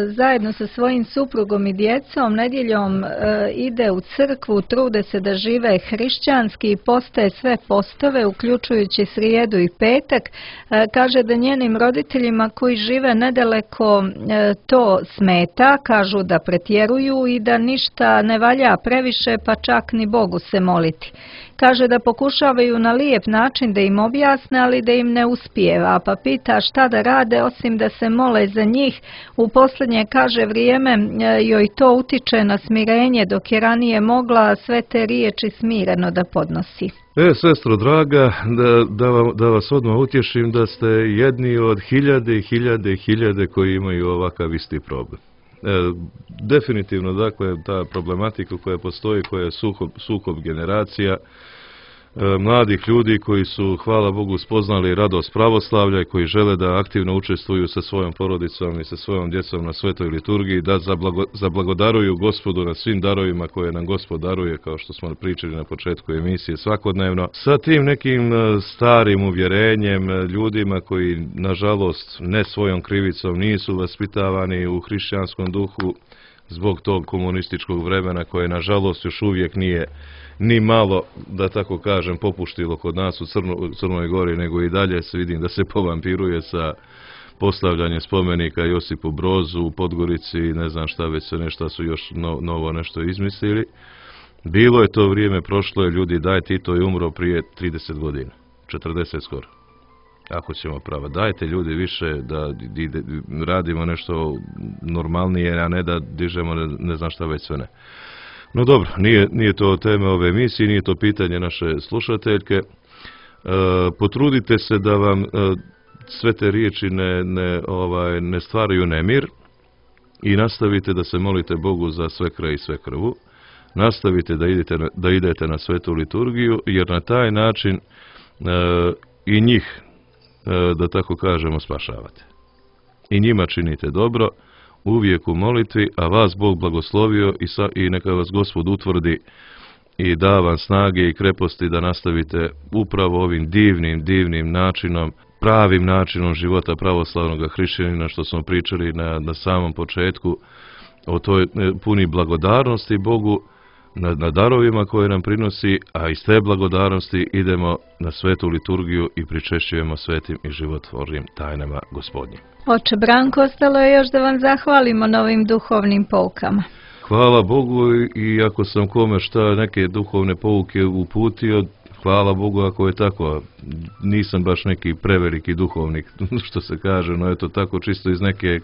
zajedno sa svojim suprugom i djecom nedjeljom e, ide u crkvu, trude se da žive hrišćanski i postaje sve postove, uključujući srijedu i petak. E, kaže da njenim roditeljima koji žive nedaleko e, to smeta, kažu da pretjeruju i da ništa ne valja previše, pa čak ni Bogu se moliti. Kaže da pokušavaju na lijep način da im objasne, ali da im ne uspijeva, pa pita šta da rade osim da se mole za njih. U posljednje, kaže, vrijeme joj to utiče na smirenje, dok je ranije mogla sve te riječi smireno da podnosi. E, sestro draga, da, da, vam, da vas odmah utješim da ste jedni od hiljade i hiljade i hiljade koji imaju ovakav isti problem. E, definitivno, dakle, ta problematika koja postoji, koja je sukob, sukob generacija, e, mladih ljudi koji su, hvala Bogu, spoznali radost pravoslavlja i koji žele da aktivno učestvuju sa svojom porodicom i sa svojom djecom na svetoj liturgiji, da zablago, zablagodaruju Gospodu na svim darovima koje nam Gospod daruje, kao što smo pričali na početku emisije svakodnevno, sa tim nekim starim uvjerenjem, ljudima koji, nažalost, ne svojom krivicom nisu vaspitavani u hrišćanskom duhu zbog tog komunističkog vremena koje, nažalost, još uvijek nije ni malo, da tako kažem, popuštilo kod nas u Crno, Crnoj Gori, nego i dalje se vidim da se povampiruje sa postavljanjem spomenika Josipu Brozu u Podgorici i ne znam šta već se nešto su još no, novo nešto izmislili. Bilo je to vrijeme, prošlo je, ljudi, daj, Tito je umro prije trideset godina, četrdeset skoro. Ako ćemo prava, dajte ljudi više da ide, radimo nešto normalnije, a ne da dižemo ne, ne znam šta već sve ne. No dobro, nije, nije to teme ove emisije, nije to pitanje naše slušateljke. E, potrudite se da vam e, sve te riječi ne, ne, ovaj, ne stvaraju nemir i nastavite da se molite Bogu za sve kraj i sve krvu. Nastavite da idete, da idete na svetu liturgiju, jer na taj način e, i njih, e, da tako kažemo, spašavate. I njima činite dobro, uvijek u molitvi, a vas Bog blagoslovio i, sa, i neka vas Gospod utvrdi i da vam snage i kreposti da nastavite upravo ovim divnim, divnim načinom, pravim načinom života pravoslavnog hrišćanina, što smo pričali na, na samom početku, o toj puni blagodarnosti Bogu, na, na darovima koje nam prinosi, a iz te blagodarnosti idemo na svetu liturgiju i pričešćujemo svetim i životvornim tajnama Gospodnjim. Oče Branko, ostalo je još da vam zahvalimo na ovim duhovnim poukama. Hvala Bogu, i ako sam kome šta neke duhovne pouke uputio, hvala Bogu ako je tako. Nisam baš neki preveliki duhovnik, što se kaže, no eto tako čisto iz neke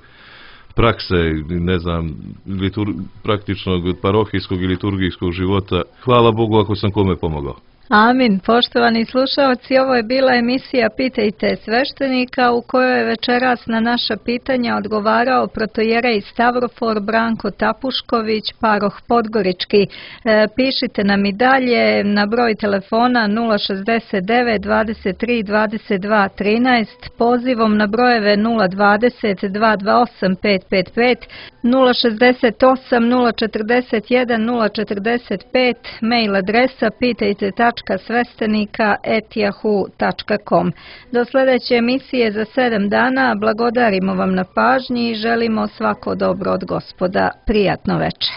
prakse, ne znam, litur, praktičnog parohijskog i liturgijskog života. Hvala Bogu ako sam kome pomogao. Amin. Poštovani slušalci, ovo je bila emisija Pitajte sveštenika, u kojoj je večeras na naša pitanja odgovarao protojerej Stavrofor Branko Tapušković, paroh Podgorički. E, pišite nam i dalje na broj telefona nula šezdeset devet dvadeset tri dvadeset dva trinaest, pozivom na brojeve nula dvadeset dva dva osam pet pet pet, nula šezdeset osam nula četrdeset jedan nula četrdeset pet, mail adresa pitajte tačka sveštenika at yahoo tačka com. Do sljedeće emisije za sedam dana blagodarimo vam na pažnji i želimo svako dobro od Gospoda. Prijatno večer.